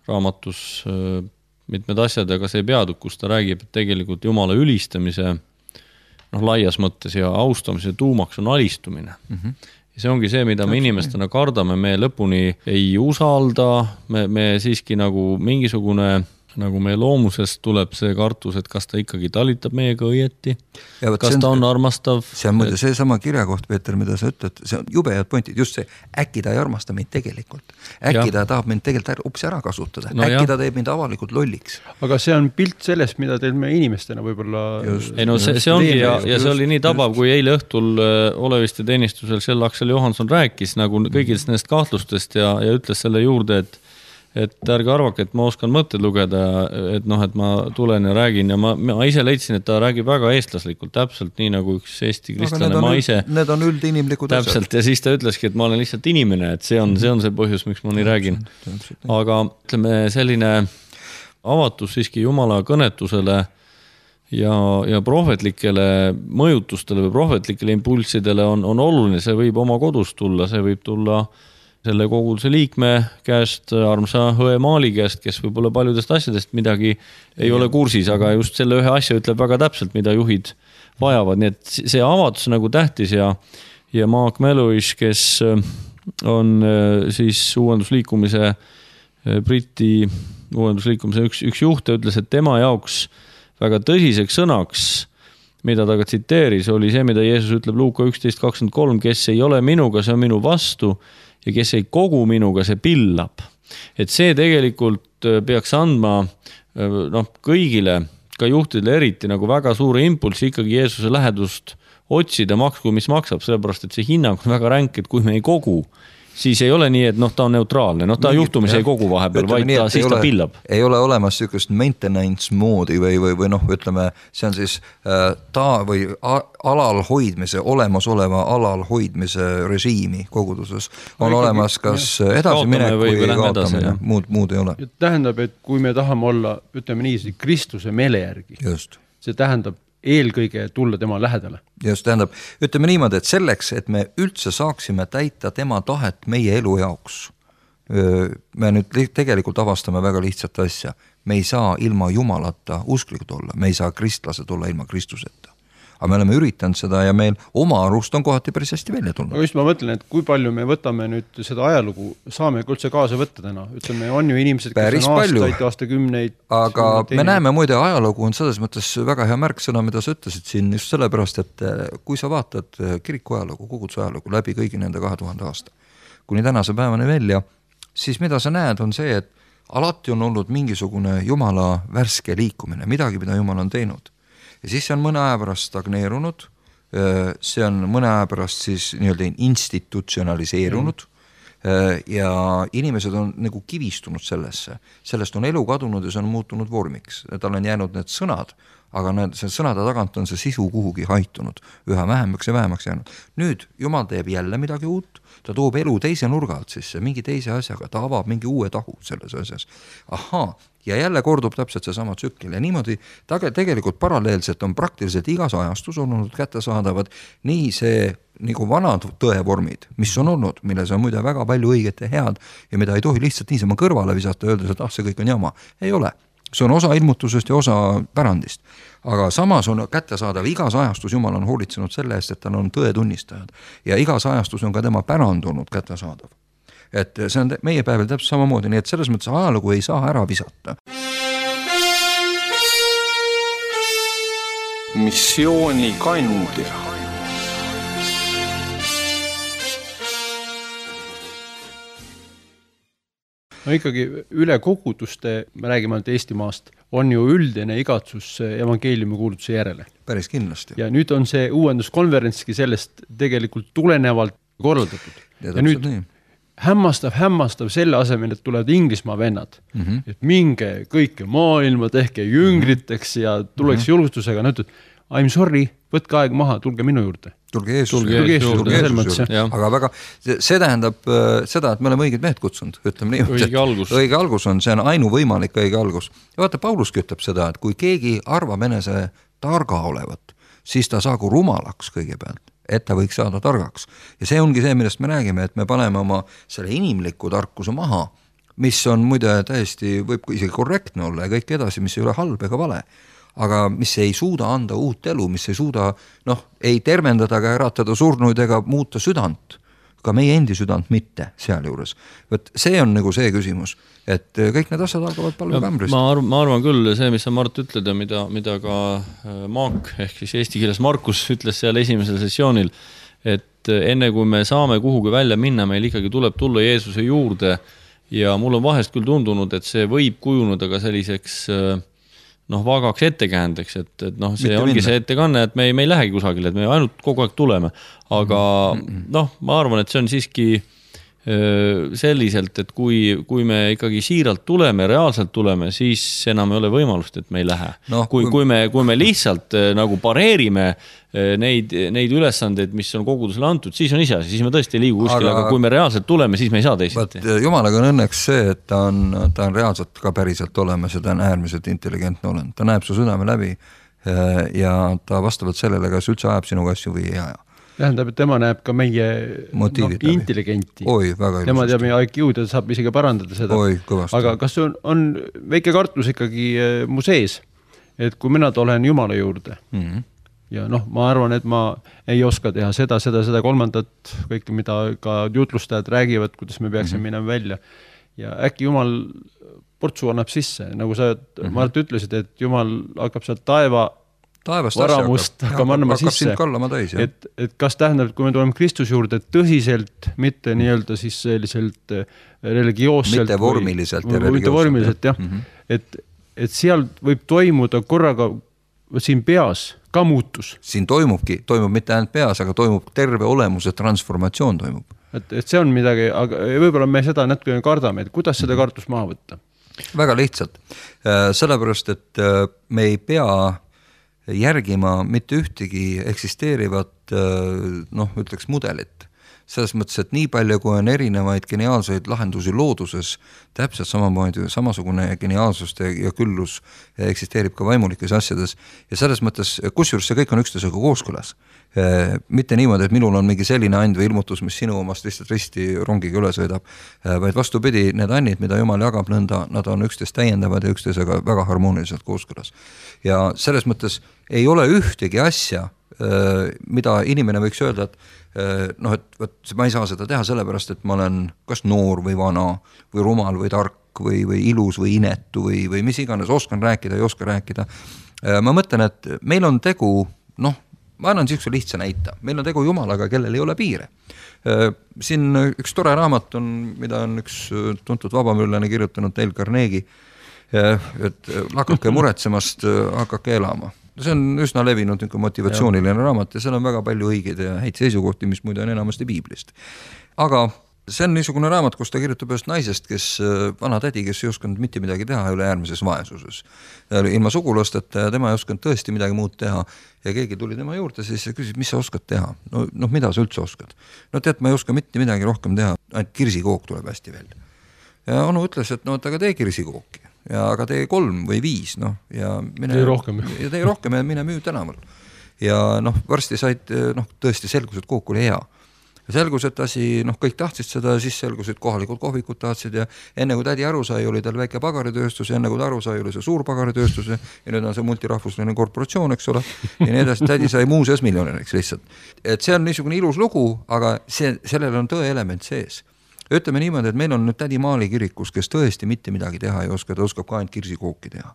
raamatus äh, mitmed asjad, aga see peatükk, kus ta räägib, et tegelikult Jumala ülistamise noh, laias mõttes ja austamise tuumaks on alistumine. Mm-hmm. Ja see ongi see, mida me inimestena kardame, me lõpuni ei usalda, me, me siiski nagu mingisugune nagu meie loomusest tuleb see kartus, et kas ta ikkagi talitab meiega õieti, kas on, ta on armastav.
See on muide see sama kirja koht, Peeter, mida sa ütled, see on jube head pointid, just see, äkki ta ei armasta meid tegelikult. Äkki ja. ta tahab meid tegelikult ups ära kasutada, no äkki ja. ta teeb meid avalikult lolliks.
Aga see on pilt sellest, mida teil me inimestena võib-olla...
Just, ei no see, see ongi ja, ja see oli nii tabav, kui eile õhtul oleviste teenistusel sel Aksel Johanson rääkis nagu kõigist nendest kahtlustest ja, ja ütles selle juurde, et et ärge arvake, et ma oskan mõtted lugeda, et noh, et ma tulen ja räägin ja ma, ma ise leidsin, et ta räägib väga eestlaslikult, täpselt nii nagu üks eesti kristlane, ma ise
need on üldinimlikud
täpselt asjad. Ja siis ta ütleski, et ma olen lihtsalt inimene, et see on, see on see põhjus, miks ma nii räägin. Aga ütleme, selline avatus siiski Jumala kõnetusele ja, ja prohvetlikele mõjutustele või prohvetlikele impulssidele on, on oluline, see võib oma kodust tulla, see võib tulla selle koguduse liikme käest, armsa õe Maali käest, kes võib-olla paljudest asjadest midagi ei ole kursis, aga just selle ühe asja ütleb väga täpselt, mida juhid vajavad. Nii et see avatus nagu tähtis ja, ja Mark Meluis, kes on siis uuendusliikumise, Briti uuendusliikumise üks, üks juht, ütles, et tema jaoks väga tõsiseks sõnaks, mida ta ka tsiteeris, oli see, mida Jeesus ütleb Luuka üksteist kakskümmend kolm, kes ei ole minuga, see on minu vastu, ja kes ei kogu minuga, see pillab. Et see tegelikult peaks andma noh, kõigile, ka juhtidele eriti nagu väga suure impulsi ikkagi Jeesuse lähedust otsida maksku, mis maksab, sellepärast, et see hinnang on väga ränk, et kui me ei kogu, siis ei ole nii, et noh, ta on neutraalne, noh, ta juhtumis ei kogu vahepeal, vaid ta, siis ta pillab.
Ei ole olemas sükust maintenance moodi või, või, või noh, ütleme, see on siis äh, ta või alal hoidmise, olemasoleva alal hoidmise režiimi koguduses. On no, olemas kas edasi minek või, või kaotamine, muud, muud ei ole.
Tähendab, et kui me tahame olla, ütleme nii, Kristuse meele järgi,
just.
See tähendab eelkõige tulla tema lähedale.
Just tähendab, ütleme niimoodi, et selleks, et me üldse saaksime täita tema tahet meie elu jaoks, me nüüd tegelikult avastame väga lihtsat asja. Me ei saa ilma Jumalata usklikud olla, me ei saa kristlased olla ilma Kristuseta. Aga me oleme üritanud seda ja meil oma arust on kohati päris hästi välja tulnud.
Aga just ma mõtlen, et kui palju me võtame nüüd seda ajalugu, saame üldse kaasa võtta täna. Ütleme, on ju inimesed, kes on aastaid, aastakümneid.
Aga me näeme muide, ajalugu on selles mõttes väga hea märksõna, mida sa ütlesid siin just sellepärast, et kui sa vaatad kiriku ajalugu, koguduse ajalugu läbi kõigi nende kahe tuhande aasta, kuni tänase päevani välja, siis mida sa näed on see, et alati on olnud mingisugune Jumala värske liikumine, midagi, mida Jumal on teinud. Ja siis see on mõne aja pärast stagneerunud, see on mõne aja pärast siis nii-öelda institutsionaliseerunud ja inimesed on nagu kivistunud sellesse. Sellest on elu kadunud ja see on muutunud vormiks. Tal on jäänud need sõnad, aga need sõnade tagant on see sisu kuhugi haitunud, üha vähemaks ja vähemaks jäänud. Nüüd Jumal teeb jälle midagi uut, ta toob elu teise nurga alt sisse, mingi teise asjaga, ta avab mingi uue tahu selles asjas. Ahaa, ja jälle kordub täpselt see sama tsükkel ja niimoodi tegelikult paralleelselt on praktiliselt igas ajastus olnud kättesaadavad nii see nagu vanad tõevormid, mis on olnud, milles on muide väga palju õiget ja head ja mida ei tohi lihtsalt niisama kõrvale visata ja öelda, et ah, see kõik on jama. Ei ole. See on osa ilmutusest ja osa pärandist. Aga samas on kättesaadav igas ajastus, Jumal on hoolitsenud selle eest, et tal on tõetunnistajad ja igas ajastus on ka tema pärand olnud kättesaadav. Et see on meie päeval täpselt samamoodi, nii et selles mõttes ajalugu ei saa ära visata.
Missiooni kandja.
no ikkagi üle koguduste, me räägime ainult Eestimaast, on ju üldine igatsus evangeeliumi kuulutuse järele.
Päris kindlasti.
Ja nüüd on see uuenduskonverentski sellest tegelikult tulenevalt korraldatud.
Ja,
ja nüüd
nii.
hämmastav, hämmastav selle asemel, et tulevad Inglismaa vennad, mm-hmm. et minge kõike maailma, tehke jüngriteks ja tuleks mm-hmm. julgustusega, no ütled, I'm sorry, võtke aeg maha, tulge minu juurde.
Tulge Jeesus
tulge
juurde.
Jeesus juurde, juurde. juurde.
Aga väga, see tähendab seda, et me oleme õiged mehed kutsunud, ütleme nii.
Õige algus.
Õige algus on, see on ainu võimalik õige algus. Ja vaata, Paulus ütleb seda, et kui keegi arvab enese targa olevat, siis ta saagu rumalaks kõigepealt, et ta võiks saada targaks. Ja see ongi see, millest me räägime, et me paneme oma selle inimliku tarkuse maha, mis on muide täiesti, võib isegi korrektne olla ja kõik edasi, mis ei ole halb ega vale. Aga mis ei suuda anda uut elu, mis ei suuda, noh, ei tervendada ega äratada surnuid ega muuta südant, ka meie endi südant mitte seal juures. Võt see on nagu see küsimus, et kõik need asjad algavad palve kämbrist.
Ma, arv, ma arvan küll, see, mis sa Mart ütled ja mida, mida ka Maak, ehk siis eesti keeles Markus ütles seal esimesel sessioonil, et enne kui me saame kuhugi välja minna, meil ikkagi tuleb tulla Jeesuse juurde ja mul on vahest küll tundunud, et see võib kujuneda ka selliseks noh, vagaks ettekäändeks, et, et noh, see Mitte ongi minna. See ettekanne, et me ei, me ei lähegi kusagile, et me ainult kogu aeg tuleme. Aga mm-hmm. noh, ma arvan, et see on siiski öö, selliselt, et kui, kui me ikkagi siiralt tuleme, reaalselt tuleme, siis enam ei ole võimalust, et me ei lähe. No, kui, kui... Kui, me, kui me lihtsalt öö, nagu pareerime öö, neid, neid ülesandeid, mis on kogudusele antud, siis on ise asi, siis me tõesti ei liigu kuskile, aga... aga kui me reaalselt tuleme, siis me ei saa teisiti.
Jumalaga on õnneks see, et ta on, ta on reaalselt ka päriselt olemas ja ta on äärmiselt intelligentne olend. Ta näeb su südame läbi ja ta vastavalt sellele, kas üldse ajab sinu asju või ei aja.
Tähendab, et tema näeb ka meie no, intelligenti.
Oi, väga
tema teab meie I Q-d ja saab isegi parandada seda.
Oi, kõvasti.
Aga kas on, on väike kartus ikkagi mu sees, et kui mina olen Jumala juurde mm-hmm. ja noh, ma arvan, et ma ei oska teha seda, seda, seda kolmandat, kõik, mida ka jutlustajad räägivad, kuidas me peaksime mm-hmm. minema välja. Ja äkki Jumal portsu annab sisse, nagu sa mm-hmm. Mart ütlesid, et Jumal hakkab sealt taeva
Taevast
varamust hakkab annama sisse,
täis,
et, et kas tähendab, et kui me tuleme Kristus juurde tõsiselt, mitte nii-öelda siis selliselt religioosselt
mitte vormiliselt
või,
ja religioosselt,
mitte vormiliselt, jah, mm-hmm. et, et seal võib toimuda korraga siin peas ka muutus.
Siin toimubki, toimub mitte ainult peas, aga toimub terve olemuse transformatsioon toimub.
Et, et see on midagi, aga võib-olla me seda natuke kardame, et kuidas seda kartust maha võtta?
Väga lihtsalt, sellepärast, et me ei pea järgima mitte ühtegi eksisteerivat noh, ütleks mudelit. Selles mõttes, et nii palju, kui on erinevaid geniaalseid lahendusi looduses, täpselt samamoodi samasugune geniaalsust ja küllus eksisteerib ka vaimulikes asjades. Ja selles mõttes, kusjuures see kõik on üksteisega kooskõlas. Mitte niimoodi, et minul on mingi selline and või ilmutus, mis sinu omast lihtsalt risti rongiga üle sõidab, vaid vastupidi, need annid, mida Jumal jagab nõnda, nad on üksteist täiendavad ja üksteisega väga harmooniliselt kooskõlas. Ja selles mõttes ei ole ühtegi asja, mida inimene võiks öelda, et noh, et võt, ma ei saa seda teha sellepärast, et ma olen kas noor või vana või rumal või tark või, või ilus või inetu või, või mis iganes, oskan rääkida, ei oska rääkida. Ma mõtlen, et meil on tegu, noh, ma annan siukse lihtsa näita, meil on tegu Jumalaga, kellel ei ole piire. Siin üks tore raamat on, mida on üks tuntud vabamüllane kirjutanud Dale Carnegie, et hakake muretsemast, hakake elama. See on üsna levinud motivatsiooniline raamat ja seal on väga palju õigeid ja häid seisukohti, mis muide on enamasti piiblist. Aga see on niisugune raamat, kus ta kirjutab ühest naisest, kes vana tädi, kes ei osanud mitte midagi teha üle äärmises vaesuses. Ilma sugulasteta ja tema ei osanud tõesti midagi muud teha ja keegi tuli tema juurde siis ja küsis, mis sa oskad teha? No, noh, mida sa üldse oskad? No tead, ma ei oska mitte midagi rohkem teha, ainult kirsikook tuleb hästi välja. Ja onu ütles, et no, aga tee kirsikooki. Ja aga tee kolm või viis, noh, ja mine,
tee rohkem.
Ja tee rohkem ja mine müü tänaval. Ja noh, varsti said, noh, tõesti selgus, et kook oli hea. Ja selgus, et asi, noh, kõik tahtsid seda, siis selgus, et kohalikud kohvikud tahtsid ja enne kui tädi aru sai, oli tal väike pagaritööstus ja enne kui ta aru sai, oli see suur pagaritööstus ja nüüd on see multirahvusline korporatsioon, eks ole, ja nii edasi, tädi sai muuseas miljonäriks lihtsalt. Et see on niisugune ilus lugu, aga see, sellel on tõe element sees. Ütleme niimoodi, et meil on nüüd tädi Maali kirikus, kes tõesti mitte midagi teha ei oska, ta oskab ka ainult kirsikooki teha.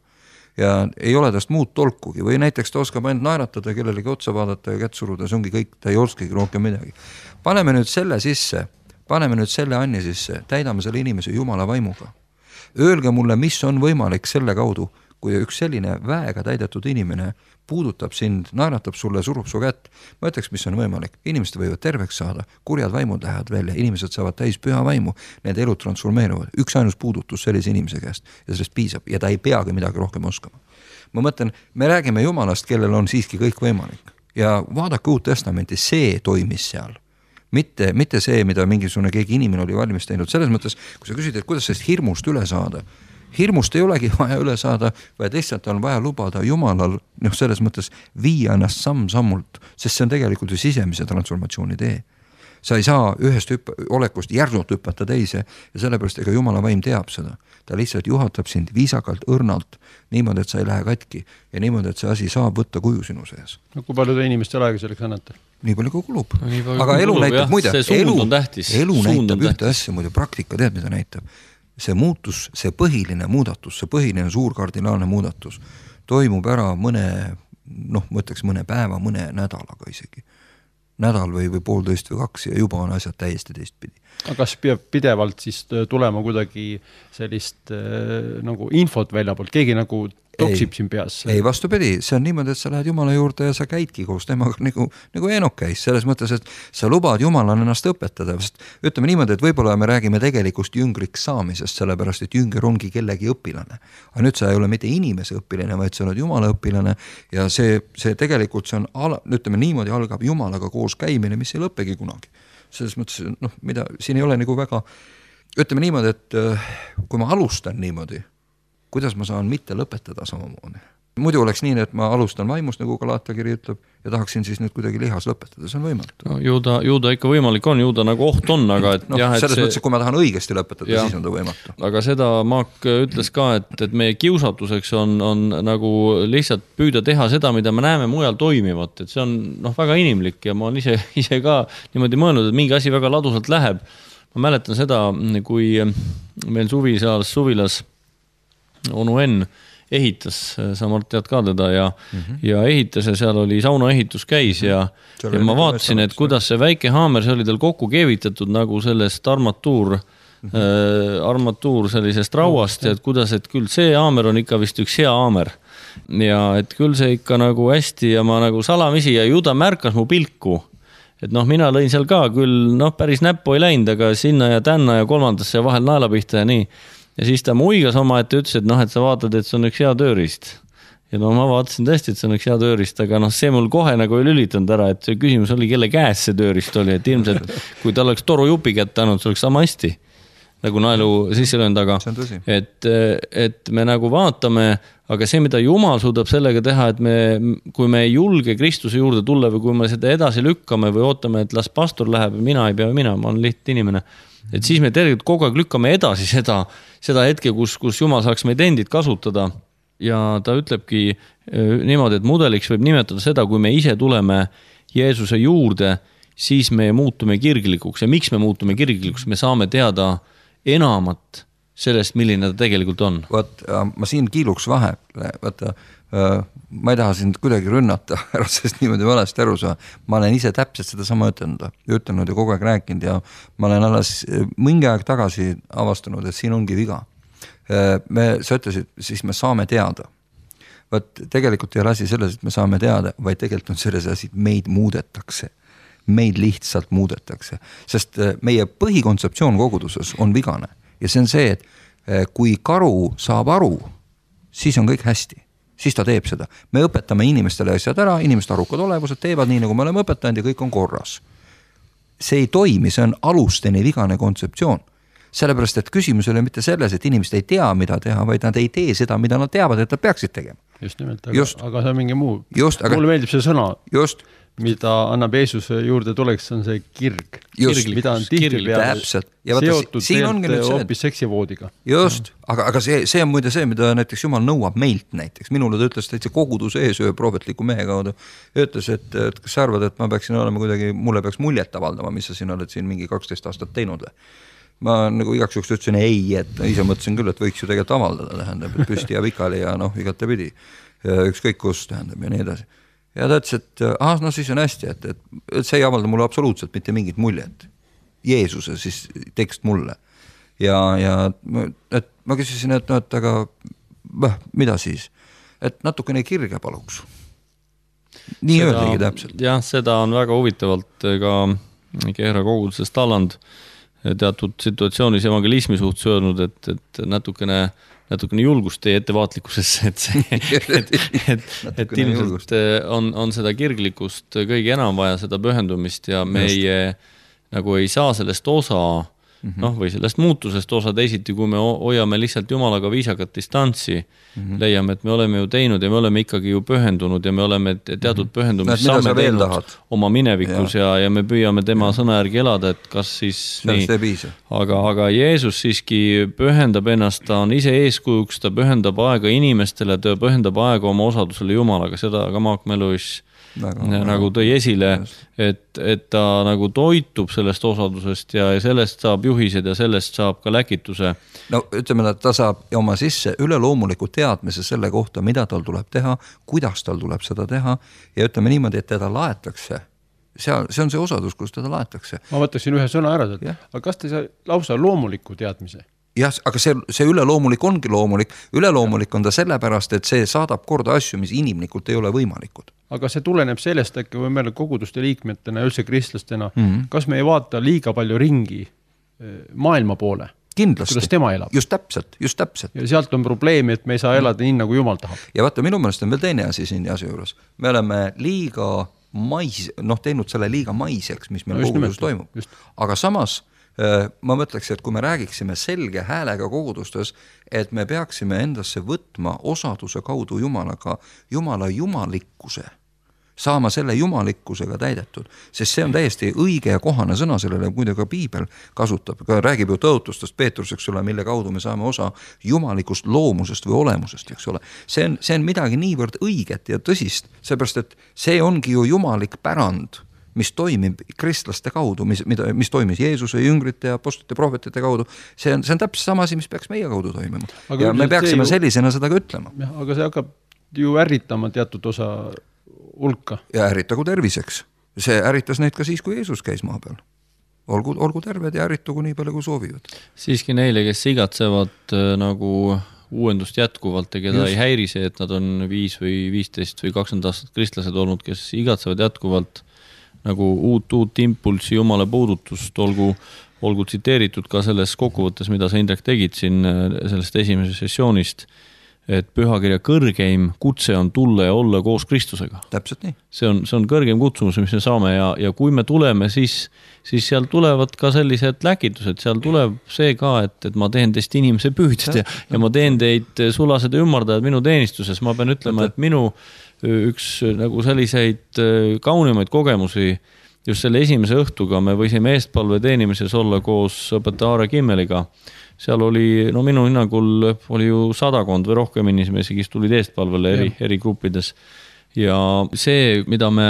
Ja ei ole tast muud tolkugi või näiteks ta oskab ainult naeratada, kellelegi otsa vaadata ja kätt suruda, see ongi kõik, ta ei oskagi rohkem midagi. Paneme nüüd selle sisse, paneme nüüd selle anni sisse, täidame selle inimese Jumala vaimuga. öelge mulle, mis on võimalik selle kaudu, kui üks selline väega täidetud inimene puudutab sind, naeratab sulle, surub su kätt, ma ütleks, mis on võimalik. Inimesed võivad terveks saada, kurjad vaimud lähevad välja, inimesed saavad täis püha vaimu, need elud transformeeruvad. Üks ainus puudutus sellise inimese käest ja sellest piisab ja ta ei peagi midagi rohkem oskama. Ma mõtlen, me räägime Jumalast, kellel on siiski kõik võimalik ja vaadake Uut Testamenti, see toimis seal. Mitte, mitte see, mida mingisugune keegi inimene oli valmis teinud. Selles mõttes, kui sa küsid, et kuidas sellest hirmust üle saada, hirmust ei olegi vaja üle saada, vaid lihtsalt on vaja lubada Jumalal, noh, selles mõttes viia ennast samm-sammult, sest see on tegelikult ju sisemise transformatsiooni tee. Sa ei saa ühest hüpp- olekust järsult hüppata teise ja sellepärast ega Jumala vaim teab seda. Ta lihtsalt juhatab sind viisakalt, õrnalt, niimoodi, et sa ei lähe katki ja niimoodi, et see asi saab võtta kuju sinu sees.
No kui palju te inimestel aega selleks annate?
Nii palju kui kulub.
Nii palju
aga
kui
elu
kulub,
näitab,
jah,
muide,
see suund
elu,
on tähtis.
elu
Suund on
näitab ühte
tähtis.
asja, muide praktika tead, mida näitab. See muutus, see põhiline muudatus, see põhiline suur kardinaalne muudatus toimub ära mõne, noh, ma ütleks mõne päeva, mõne nädalaga isegi. Nädal või, või poolteist või kaks ja juba on asjad täiesti teistpidi.
Aga kas peab pidevalt siis tulema kuidagi sellist äh, nagu infot välja poolt, keegi nagu toksib siin peas?
Ei, vastupidi, see on niimoodi, et sa lähed Jumala juurde ja sa käidki koos temaga nagu, nagu Eenok käis, selles mõttes, et sa lubad Jumalal ennast õpetada, sest ütleme niimoodi, et võib-olla me räägime tegelikust jüngriks saamisest, sellepärast, et jünger ongi kellegi õpilane. Aga nüüd sa ei ole mitte inimese õpilane, vaid sa oled Jumala õpilane ja see, see tegelikult see on, ala, ütleme niimoodi, algab Jumalaga koos käimine, mis ei lõppegi kunagi. Selles mõttes, noh, mida, siin ei ole nagu väga, ütleme niimoodi, et kui ma alustan niimoodi, kuidas ma saan mitte lõpetada samamoodi. Muidu oleks nii, et ma alustan vaimust, nagu Galatia-kiri ütleb, ja tahaksin siis nüüd kuidagi lihas lõpetada, see on võimatu.
No, ju, ta, ju ta ikka võimalik on, ju ta nagu oht on, aga et
no,
jah, et
selles
see...
mõttes, kui ma tahan õigesti lõpetada, ja. Siis on ta võimatu.
Aga seda Maak ütles ka, et, et meie kiusatuseks on, on nagu lihtsalt püüda teha seda, mida me näeme mujal toimivat, et see on noh, väga inimlik ja ma olen ise, ise ka niimoodi mõelnud, et mingi asi väga ladusalt läheb. Ma mäletan seda, kui meil suvisalas suvilas onu Enn ehitas, sa Mart tead ka teda ja, mm-hmm. ja ehitas ja seal oli sauna ehitus käis ja, ja ma vaatasin, et kuidas see väike haamer, see oli tal kokku keevitatud nagu sellest armatuur, mm-hmm. äh, armatuur sellisest rauast ja et kuidas, et küll see haamer on ikka vist üks hea haamer ja et küll see ikka nagu hästi ja ma nagu salamisi ja ju ta märkas mu pilku. Et noh, mina lõin seal ka küll, noh, päris näppu ei läinud, aga sinna ja tänna ja kolmandasse ja vahel naelapihta ja nii. Ja siis ta muigas oma, et ütles, et noh, et sa vaatad, et see on üks hea tööriist. Ja no ma vaatasin tõesti, et see on üks hea tööriist, aga noh, see mul kohe nagu ei lülitanud ära, et see küsimus oli, kelle käes see tööriist oli, et ilmselt kui ta oleks toru jupi kätte andnud, see oleks sama hästi nagu naelu sisse löönud, aga et, et me nagu vaatame, aga see, mida Jumal suudab sellega teha, et me, kui me ei julge Kristuse juurde tulla või kui me seda edasi lükkame või ootame, et las pastor läheb ja mina ei pea mina, ma olen liht inimene, et siis me tegelikult kogu aeg lükkame edasi seda, seda hetke, kus, kus Jumal saaks meid endid kasutada ja ta ütlebki niimoodi, et mudeliks võib nimetada seda, kui me ise tuleme Jeesuse juurde, siis me muutume kirglikuks ja miks me muutume kirglikuks, me saame teada enamat sellest, milline ta tegelikult on.
Vaat, ma siin kiiluks vahe, vaata, ma ei taha sind kuidagi rünnata, ära sest niimoodi valesti aru saa. Ma olen ise täpselt seda sama ütelnud, ütelnud ja kogu aeg rääkinud ja ma olen alles mingi aeg tagasi avastanud, et siin ongi viga. Me, sa ütlesid, siis me saame teada. Vaat, tegelikult ei ole asi selles, et me saame teada, vaid tegelikult on selles asi, et meid muudetakse. Meid lihtsalt muudetakse, sest meie põhikontseptsioon koguduses on vigane ja see on see, et kui karu saab aru, siis on kõik hästi, siis ta teeb seda. Me õpetame inimestele asjad ära, inimeste arukad olevused teevad nii, nagu me oleme õpetanud ja kõik on korras. See ei toimi, see on alusteni vigane kontseptsioon. Sellepärast, et küsimus ei ole mitte selles, et inimesed ei tea, mida teha, vaid nad ei tee seda, mida nad teavad, et nad peaksid tegema.
Just nimelt, aga, aga see on mingi muu.
Just, aga,
mulle meeldib see sõna,
just,
mida annab Jeesuse juurde tuleks, on see kirg.
Just,
mida on tihti peale seotud teelt hoopis seksivoodiga.
Just, aga, aga see, see on muide see, mida näiteks Jumal nõuab meilt näiteks. Minule ta ütles täitsa koguduse ees ühe prohvetliku mehe kaudu. Ütles, et, et kas sa arvad, et ma peaksin olema kuidagi, mulle peaks muljet avaldama, mis sa siin oled siin mingi kaksteist aastat teinud. Ma nagu igaks juhuks ütlesin ei, et ise mõtlesin küll, et võiks ju tegelikult avaldada, tähendab, et püsti ja pikali ja noh, igate pidi. Ükskõik kus tähendab ja nii edasi. Ja ta ütles, et ah, no siis on hästi, et, et, et see ei avalda mulle absoluutselt mitte mingit muljet. Jeesuse siis tekst mulle. ja, ja et ma küsisin, et, no, et aga bah, mida siis, et natukene kirge paluks. Nii seda, öeldagi täpselt.
Jah, seda on väga huvitavalt ka Kehra kogudusest Talland teatud situatsioonis evangelismi suhtes öelnud, et, et natukene, natukene julgust teie ettevaatlikkusesse, et, see, et, et, et ilmselt on, on seda kirglikkust kõige enam vaja, seda pühendumist ja meie nagu ei saa sellest osa, noh, või sellest muutusest osa teisiti, kui me hoiame lihtsalt Jumalaga viisakat distantsi, mm-hmm. leiame, et me oleme ju teinud ja me oleme ikkagi ju pühendunud ja me oleme teatud pühendumist
mm-hmm.
saame teinud oma minevikus ja, ja, ja me püüame tema ja. sõna järgi elada, et kas siis
sellest
nii, aga, aga Jeesus siiski pühendab ennast, ta on ise eeskujuks, ta pühendab aega inimestele, ta pühendab aega oma osadusele Jumalaga, seda ka Mark Meluis Väga, nagu tõi esile, et, et ta nagu toitub sellest osadusest ja sellest saab juhised ja sellest saab ka läkituse.
No ütleme, et ta saab oma sisse üleloomuliku teadmise selle kohta, mida tal tuleb teha, kuidas tal tuleb seda teha ja ütleme niimoodi, et teda laetakse. Seal, see on see osadus, kus teda laetakse.
Ma võtaksin ühe sõna ära, et, aga kas te saa lausa loomuliku teadmise?
Jah, aga see, see üleloomulik ongi loomulik. Üleloomulik on ta sellepärast, et see saadab korda asju, mis inimlikult ei ole võimalikud.
Aga see tuleneb sellest, äkki või meil koguduste liikmetena ja üldse kristlastena, mm-hmm. kas me ei vaata liiga palju ringi maailma poole?
Kindlasti.
Kuidas tema elab?
Just täpselt, just täpselt.
Ja sealt on probleemi, et me ei saa elada nii, nagu Jumal tahab.
Ja vaata, minu mõnest on veel teine asi siin asja juures. Me oleme liiga mais, noh, teinud selle liiga maiseks, mis meil no, kogudus toimub. Just. Aga samas ma mõtleks, et kui me räägiksime selge häälega kogudustes, et me peaksime endasse võtma osaduse kaudu Jumalaga, Jumala jumalikkuse, saama selle jumalikkusega täidetud, sest see on täiesti õige ja kohane sõna sellele, muide ka Piibel kasutab, ka räägib ju tõotustest Peetrus, eks ole, mille kaudu me saame osa jumalikust loomusest või olemusest, eks ole. See on, see on midagi niivõrd õiget ja tõsist, seepärast, et see ongi ju jumalik pärand, mis toimib kristlaste kaudu, mis, mida, mis toimis Jeesuse, jüngrite ja apostlite, prohvetite kaudu, see on, see on täpselt sama asi, mis peaks meie kaudu toimima. Aga ja me peaksime ju, sellisena seda ka ütlema.
Aga see hakkab ju ärritama teatud osa hulka.
Ja ärritagu terviseks. See ärritas neid ka siis, kui Jeesus käis maa peal. Olgu, olgu terved ja ärritagu nii palju, kui soovivad.
Siiski neile, kes igatsevad äh, nagu uuendust jätkuvalt ja keda Just. ei häiri see, et nad on viis või viisteist või kakskümmend aastat kristlased olnud, kes igatsevad jätkuvalt nagu uut, uut impulsi Jumala puudutust, olgu, olgu tsiteeritud ka selles kokkuvõttes, mida sa Indrek tegid siin sellest esimesest sessioonist, et pühakirja kõrgeim kutse on tulla ja olla koos Kristusega.
Täpselt nii.
See on, see on kõrgeim kutsumus, mis me saame ja, ja kui me tuleme, siis, siis seal tulevad ka sellised läkitused, seal tuleb see ka, et, et ma teen teist inimese püüdjad ja, ja ma teen teid sulased ja ümmardajad minu teenistuses. Ma pean ütlema, et minu üks nagu selliseid kaunimaid kogemusi just selle esimese õhtuga me võisime eestpalve teenimises olla koos õpetaja Aare Kimmeliga. Seal oli, no minu hinnangul oli ju sadakond või rohkem inimesi, kes tulid eestpalvele eri, eri gruppides. Ja see, mida me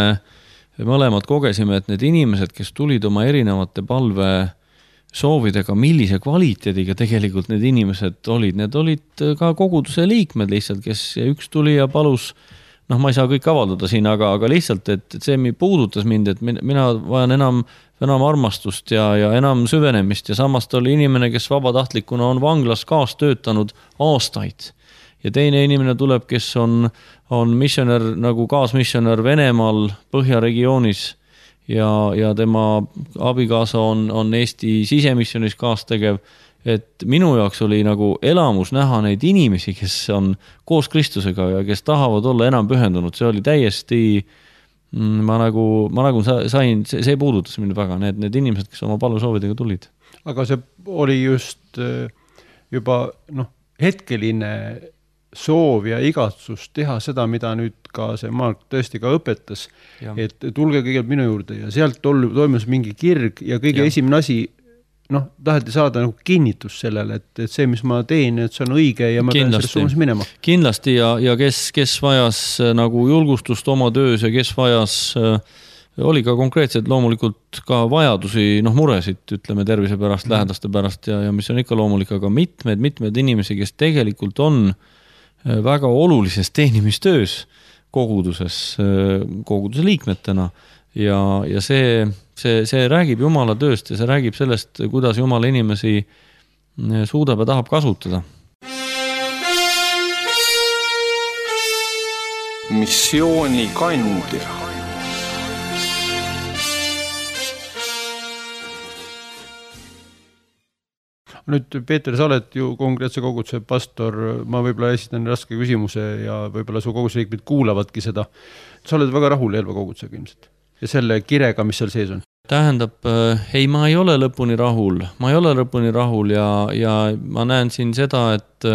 mõlemad kogesime, et need inimesed, kes tulid oma erinevate palve soovidega, millise kvaliteediga tegelikult need inimesed olid, need olid ka koguduse liikmed lihtsalt, kes üks tuli ja palus noh, ma ei saa kõik avaldada siin, aga, aga lihtsalt, et see puudutas mind, et mina vajan enam, enam armastust ja, ja enam süvenemist ja samast oli inimene, kes vabatahtlikuna on vanglas kaas töötanud aastaid. Ja teine inimene tuleb, kes on, on missionär, nagu kaasmissionär Venemaal Põhjaregioonis ja, ja tema abikaasa on, on Eesti sisemissionis kaastegev. Et minu jaoks oli nagu elamus näha neid inimesi, kes on koos Kristusega ja kes tahavad olla enam pühendunud. See oli täiesti, ma nagu, ma nagu sain, see, see puudutas mind väga, need, need inimesed, kes oma palvesoovidega tulid.
Aga see oli just juba noh, hetkeline soov ja igatsus teha seda, mida nüüd ka see Mark tõesti ka õpetas, ja. Et tulge kõigepealt minu juurde ja sealt toimus mingi kirg ja kõige ja. esimene asi, noh, taheti saada nagu kinnitus sellele, et, et see, mis ma teen, et see on õige ja ma pean selles suunas minema.
Kindlasti ja, ja kes, kes vajas nagu julgustust oma töös ja kes vajas, oli ka konkreetselt loomulikult ka vajadusi, noh, muresid, ütleme tervise pärast, mm. lähedaste pärast ja, ja mis on ikka loomulik, aga mitmed, mitmed inimesi, kes tegelikult on väga olulises teenimistöös koguduses, koguduse liikmetena ja, ja see See, see räägib Jumala tööst ja see räägib sellest, kuidas Jumala inimesi suudab ja tahab kasutada.
Missiooni kandja.
Nüüd, Peeter, sa oled ju konkreetse koguduse pastor, ma võib-olla esitan raske küsimuse ja võib-olla su koguduse liikmed kuulavadki seda. Sa oled väga rahul Elva kogudusega ilmselt ja selle kirega, mis seal sees on?
Tähendab, ei, ma ei ole lõpuni rahul. Ma ei ole lõpuni rahul ja, ja ma näen siin seda, et,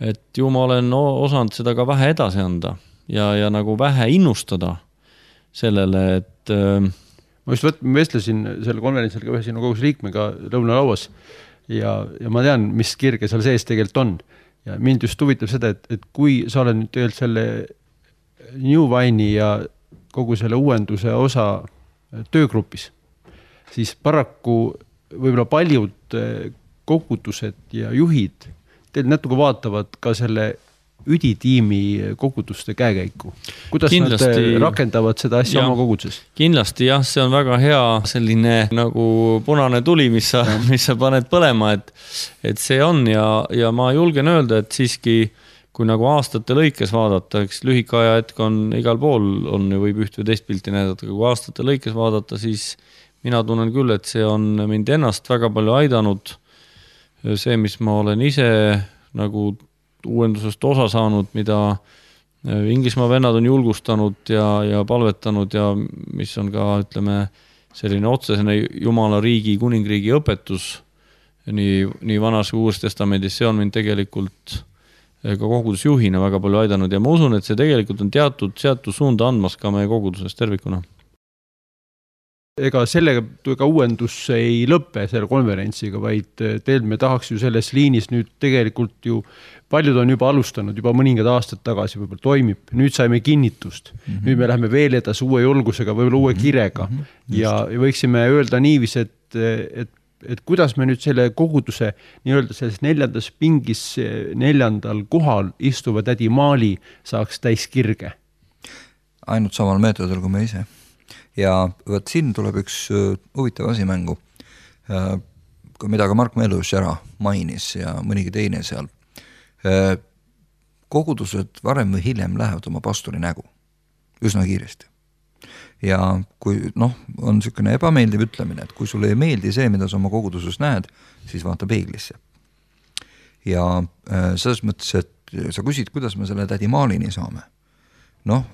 et ju ma olen osanud seda ka vähe edasi anda ja, ja nagu vähe innustada sellele, et...
Ma just võt, ma vestlesin selle konverentsil ka ühe sinu koguduse liikmega lõunalauas ja, ja ma tean, mis kirge seal sees tegelikult on. Ja mind just huvitab seda, et, et kui sa oled nüüd tegelikult selle New Wine'i ja kogu selle uuenduse osa töögrupis, siis paraku võib-olla paljud kogudused ja juhid teil natuke vaatavad ka selle üditiimi koguduste käekäiku. Kuidas kindlasti, nad rakendavad seda asja jah, oma koguduses?
Kindlasti jah, see on väga hea selline nagu punane tuli, mis sa, mis sa paned põlema, et, et see on ja, ja ma julgen öelda, et siiski kui nagu aastate lõikes vaadata, eks lühikaja hetk on igal pool, on ju võib üht või teist pilti näidata, kui aastate lõikes vaadata, siis mina tunnen küll, et see on mind ennast väga palju aidanud. See, mis ma olen ise nagu uuendusest osa saanud, mida Inglismaa vennad on julgustanud ja, ja palvetanud ja mis on ka, ütleme, selline otsesene Jumala riigi, kuningriigi õpetus nii, nii vanas kui uues testamendis, see on mind tegelikult ka kogudusjuhina väga palju aidanud ja ma usun, et see tegelikult on teatud, teatud suunda andmas ka meie koguduses tervikuna.
Ega sellega ka uuendus ei lõppe selle konverentsiga, vaid teil me tahaks ju selles liinis nüüd tegelikult ju, paljud on juba alustanud, juba mõningad aastad tagasi võib-olla toimib, nüüd saime kinnitust, mm-hmm. nüüd me läheme veel edasi uue julgusega, võib-olla uue kirega mm-hmm. ja võiksime öelda niivis, et, et et kuidas me nüüd selle koguduse nii-öelda selles neljandas pingis neljandal kohal istuva tädi Maali saaks täis kirge?
Ainult samal meetodil kui me ise. Ja võt siin tuleb üks huvitav asi mängu, mida ka Mark Mellus ära mainis ja mõnigi teine seal. Kogudused varem või hiljem lähevad oma pastori nägu üsna kiiresti. Ja kui noh, on selline ebameeldiv ütlemine, et kui sulle ei meeldi see, mida sa oma koguduses näed, siis vaata peeglisse. Ja selles mõttes, et sa küsid, kuidas me selle tädi Maalini saame. Noh,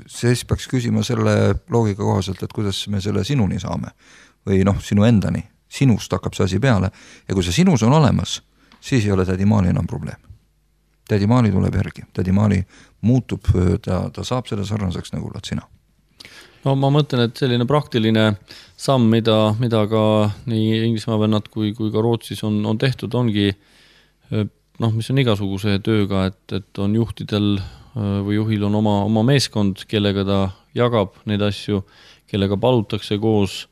siis peaks küsima selle loogika kohaselt, et kuidas me selle sinuni saame. Või noh, sinu endani. Sinust hakkab see asi peale. Ja kui see sinus on olemas, siis ei ole tädi Maali enam probleem. Tädi Maali tuleb järgi. Tädi Maali muutub, ta, ta saab selle sarnaseks nagu oled sina.
No ma mõtlen, et selline praktiline samm, mida, mida ka nii Inglismaa vennad kui, kui ka Rootsis on, on tehtud, ongi noh, mis on igasuguse tööga, et, et on juhtidel või juhil on oma, oma meeskond, kellega ta jagab neid asju, kellega palutakse koos,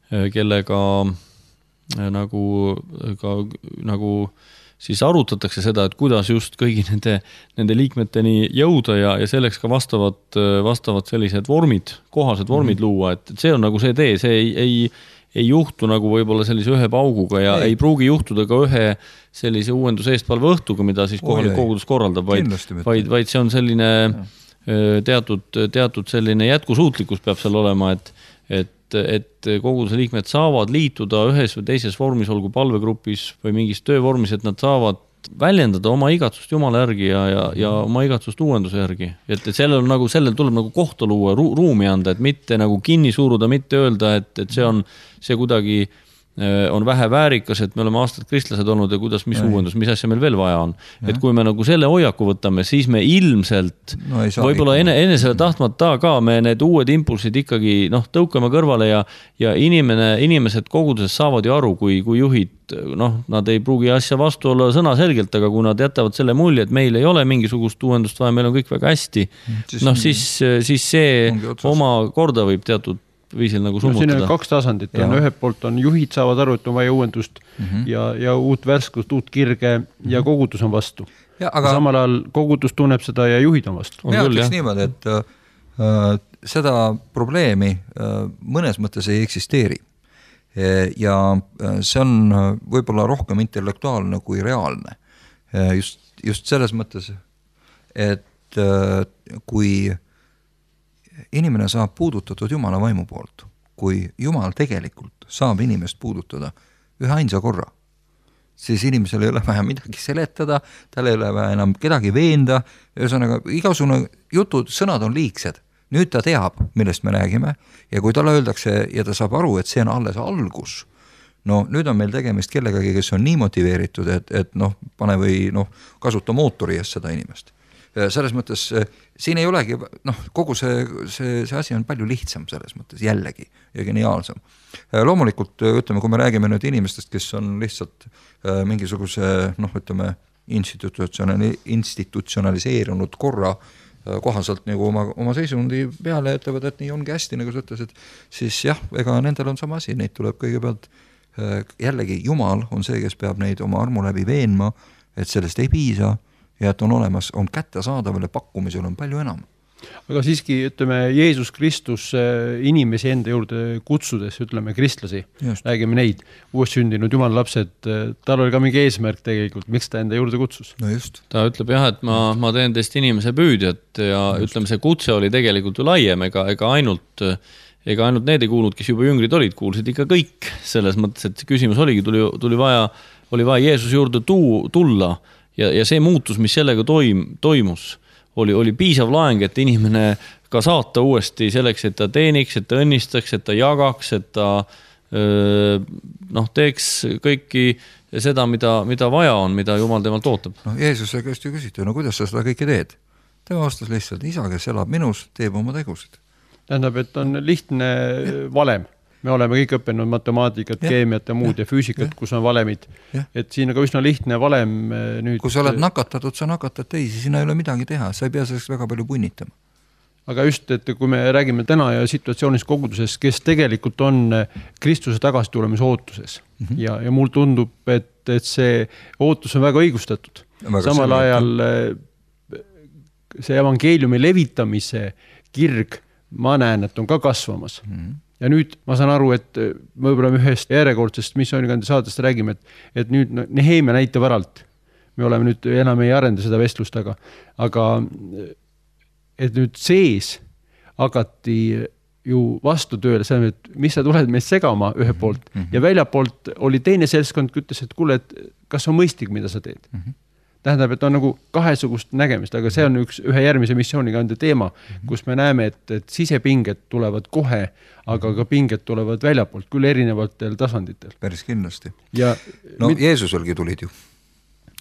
kellega nagu, ka, nagu siis arutatakse seda, et kuidas just kõigi nende, nende liikmeteni jõuda ja, ja selleks ka vastavad, vastavad sellised vormid, kohased vormid mm-hmm. luua, et see on nagu see tee, see ei, ei, ei juhtu nagu võib-olla sellise ühe pauguga ja ei, ei pruugi juhtuda ka ühe sellise uuenduse eestpalve õhtuga, mida siis kohalik kogudus korraldab, vaid, vaid, vaid see on selline teatud, teatud selline jätkusuutlikkus peab seal olema, et, et et koguduse liikmed saavad liituda ühes või teises vormis, olgu palvegrupis või mingis töövormis, et nad saavad väljendada oma igatsust Jumala järgi ja, ja, ja oma igatsust uuenduse järgi. Et, et sellel, nagu, sellel tuleb nagu kohta luua, ru, ruumi anda, et mitte nagu kinni suuruda, mitte öelda, et, et see on see kuidagi on vähe väärikas, et me oleme aastad kristlased olnud ja kuidas, mis Ei. uuendus, mis asja meil veel vaja on. Ja. Et kui me nagu selle hoiaku võtame, siis me ilmselt no, võib-olla enne, enne selle tahtmata ka me need uued impulsid ikkagi noh, tõukame kõrvale ja, ja inimene, inimesed koguduses saavad ju aru, kui, kui juhid, noh, nad ei pruugi asja vastu olla sõna selgelt, aga kui nad jätavad selle mulje, et meil ei ole mingisugust uuendust vaja, meil on kõik väga hästi, noh siis, siis see oma korda võib teatud viisil nagu summutada.
No, siin on kaks tasandit. On, ühelt poolt on juhid saavad aru, et on vaja uuendust mm-hmm. ja, ja uut värskust, uut kirge mm-hmm. ja kogudus on vastu. Ja, aga... samal ajal kogudus tunneb seda ja juhid on vastu.
Mina ütleks niimoodi, et äh, seda probleemi äh, mõnes mõttes ei eksisteeri. ja see on võib-olla rohkem intellektuaalne kui reaalne. Just, just selles mõttes, et kui inimene saab puudutatud Jumala vaimu poolt, kui Jumal tegelikult saab inimest puudutada ühe ainsa korra, siis inimesel ei ole vaja midagi seletada, tal ei ole vaja enam kedagi veenda, ühesõnaga igasugune jutud, sõnad on liigsed. Nüüd ta teab, millest me räägime ja kui talle öeldakse ja ta saab aru, et see on alles algus, no nüüd on meil tegemist kellegagi, kes on nii motiveeritud, et, et noh, pane või noh, kasuta mootori eest seda inimest. Selles mõttes siin ei olegi, noh, kogu see, see, see asi on palju lihtsam selles mõttes jällegi ja geniaalsem. Loomulikult, ütleme, kui me räägime nüüd inimestest, kes on lihtsalt mingisuguse, noh, ütleme, institutsionaliseerunud korra kohaselt nagu oma, oma seisundi peale ütlevad, et nii ongi hästi, nagu sa ütlesid, siis jah, ega nendel on sama asi, neid tuleb kõigepealt jällegi Jumal on see, kes peab neid oma armu läbi veenma, et sellest ei piisa ja et on olemas, on kättesaadavale pakkumisel on palju enam.
Aga siiski, ütleme, Jeesus Kristus inimesi enda juurde kutsudes, ütleme, kristlasi, just. Räägime neid, uuest sündinud Jumala lapsed, tal oli ka mingi eesmärk tegelikult, miks ta enda juurde kutsus?
No just.
Ta ütleb jah, et ma, ma teen teist inimese püüdjat ja just. Ütleme, see kutse oli tegelikult ju laiem, ega, ega ainult ega ainult need ei kuulnud, kes juba jüngrid olid, kuulsid ikka kõik selles mõttes, et küsimus oligi, tuli, tuli vaja, oli vaja Jeesus juurde tuu, tulla ja, ja see muutus, mis sellega toim, toimus, oli, oli piisav laeng, et inimene ka saata uuesti selleks, et ta teeniks, et ta õnnistaks, et ta jagaks, et ta öö, noh, teeks kõiki seda, mida, mida vaja on, mida Jumal temalt ootab.
No, Jeesuse käest ju küsiti, no kuidas sa seda kõike teed? Tema vastas lihtsalt, isa, kes elab minus, teeb oma tegusid.
Tähendab, et on lihtne valem. Me oleme kõik õppinud matemaatikat, ja. Keemiat ja muud ja, ja füüsikat, ja. Kus on valemid. Ja. Et siin on ka üsna lihtne valem nüüd...
Kui sa oled nakatatud, sa nakatad teisi, sinna ei ole midagi teha, sa ei pea selleks väga palju punnitama.
Aga just, et kui me räägime täna ja situatsioonis koguduses, kes tegelikult on Kristuse tagastulemise ootuses mm -hmm. ja, ja mul tundub, et, et see ootus on väga õigustatud. Väga Samal ajal see evangeeliumi levitamise kirg ma näen, et on ka kasvamas. Mm -hmm. Ja nüüd ma saan aru, et me võib-olla ühest järjekordsest missioonikandi saadest räägime, et, et nüüd Nehemia näitab äralt. Me oleme nüüd enam ei arenda seda vestlust, aga, aga et nüüd sees hakati ju vastu tööle, see, et mis sa tuled meist segama ühe poolt mm -hmm. ja väljapoolt oli teine seltskond, ütles, et kuule, et kas on mõistlik, mida sa teed? Mm -hmm. Tähendab, et on nagu kahesugust nägemist, aga see on üks ühe järgmise missioonikande teema, kus me näeme, et, et sisepinged tulevad kohe, aga ka pinged tulevad väljapoolt, küll erinevatel tasanditel.
Päris kindlasti.
Ja
no mit... Jeesuselgi tulid ju.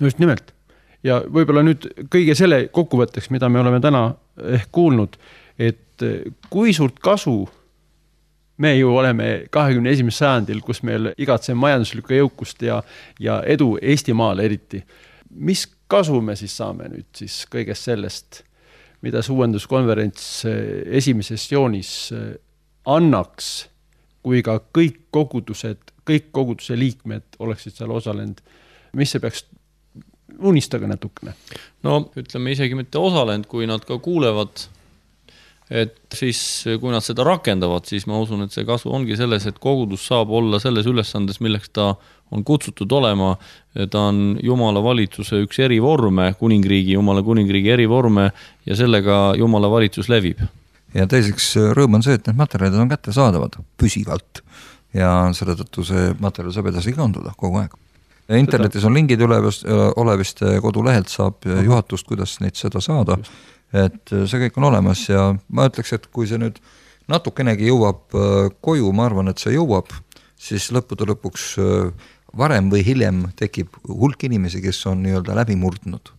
Just nimelt. Ja võib-olla nüüd kõige selle kokkuvõtteks, mida me oleme täna ehk kuulnud, et kui suurt kasu me ju oleme kahekümne esimesel sajandil, kus meil igatseme majanduslikku jõukust ja, ja edu Eestimaal eriti. Mis kasu me siis saame nüüd siis kõigest sellest, mida see uuenduskonverents esimeses joonis annaks, kui ka kõik kogudused, kõik koguduse liikmed oleksid seal osalenud, mis see peaks unistada natukene?
No ütleme isegi mitte osalenud, kui nad ka kuulevad, et siis kui nad seda rakendavad, siis ma usun, et see kasu ongi selles, et kogudus saab olla selles ülesandes, milleks ta on kutsutud olema, ta on Jumala valitsuse üks erivorme, kuningriigi, Jumala kuningriigi erivorme ja sellega Jumala valitsus levib.
Ja teiseks rõõm on see, et need materjalid on kätte saadavad püsivalt ja selle tõttu see materjal saab edasi kanduda kogu aeg. Ja internetis on lingid olevist, olevist kodulehelt saab juhatust, kuidas neid seda saada, et see kõik on olemas ja ma ütleks, et kui see nüüd natukenegi jõuab koju, ma arvan, et see jõuab, siis lõppude lõpuks varem või hiljem tekib hulk inimesi, kes on nii-öelda läbi murdnud.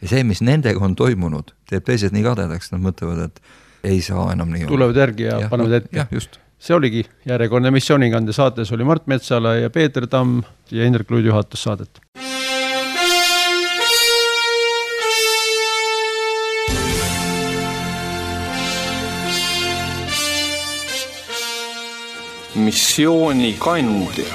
Ja see, mis nendega on toimunud, teeb teised nii kadedaks, nad mõtlevad, et ei saa enam nii olla.
Tulevad järgi ja, ja panevad ette.
Jah, just.
See oligi järjekordne missioonikande saates oli Mart Metsala ja Peeter Tamm ja Indrek Luid juhatas saadet.
Missioonikandja.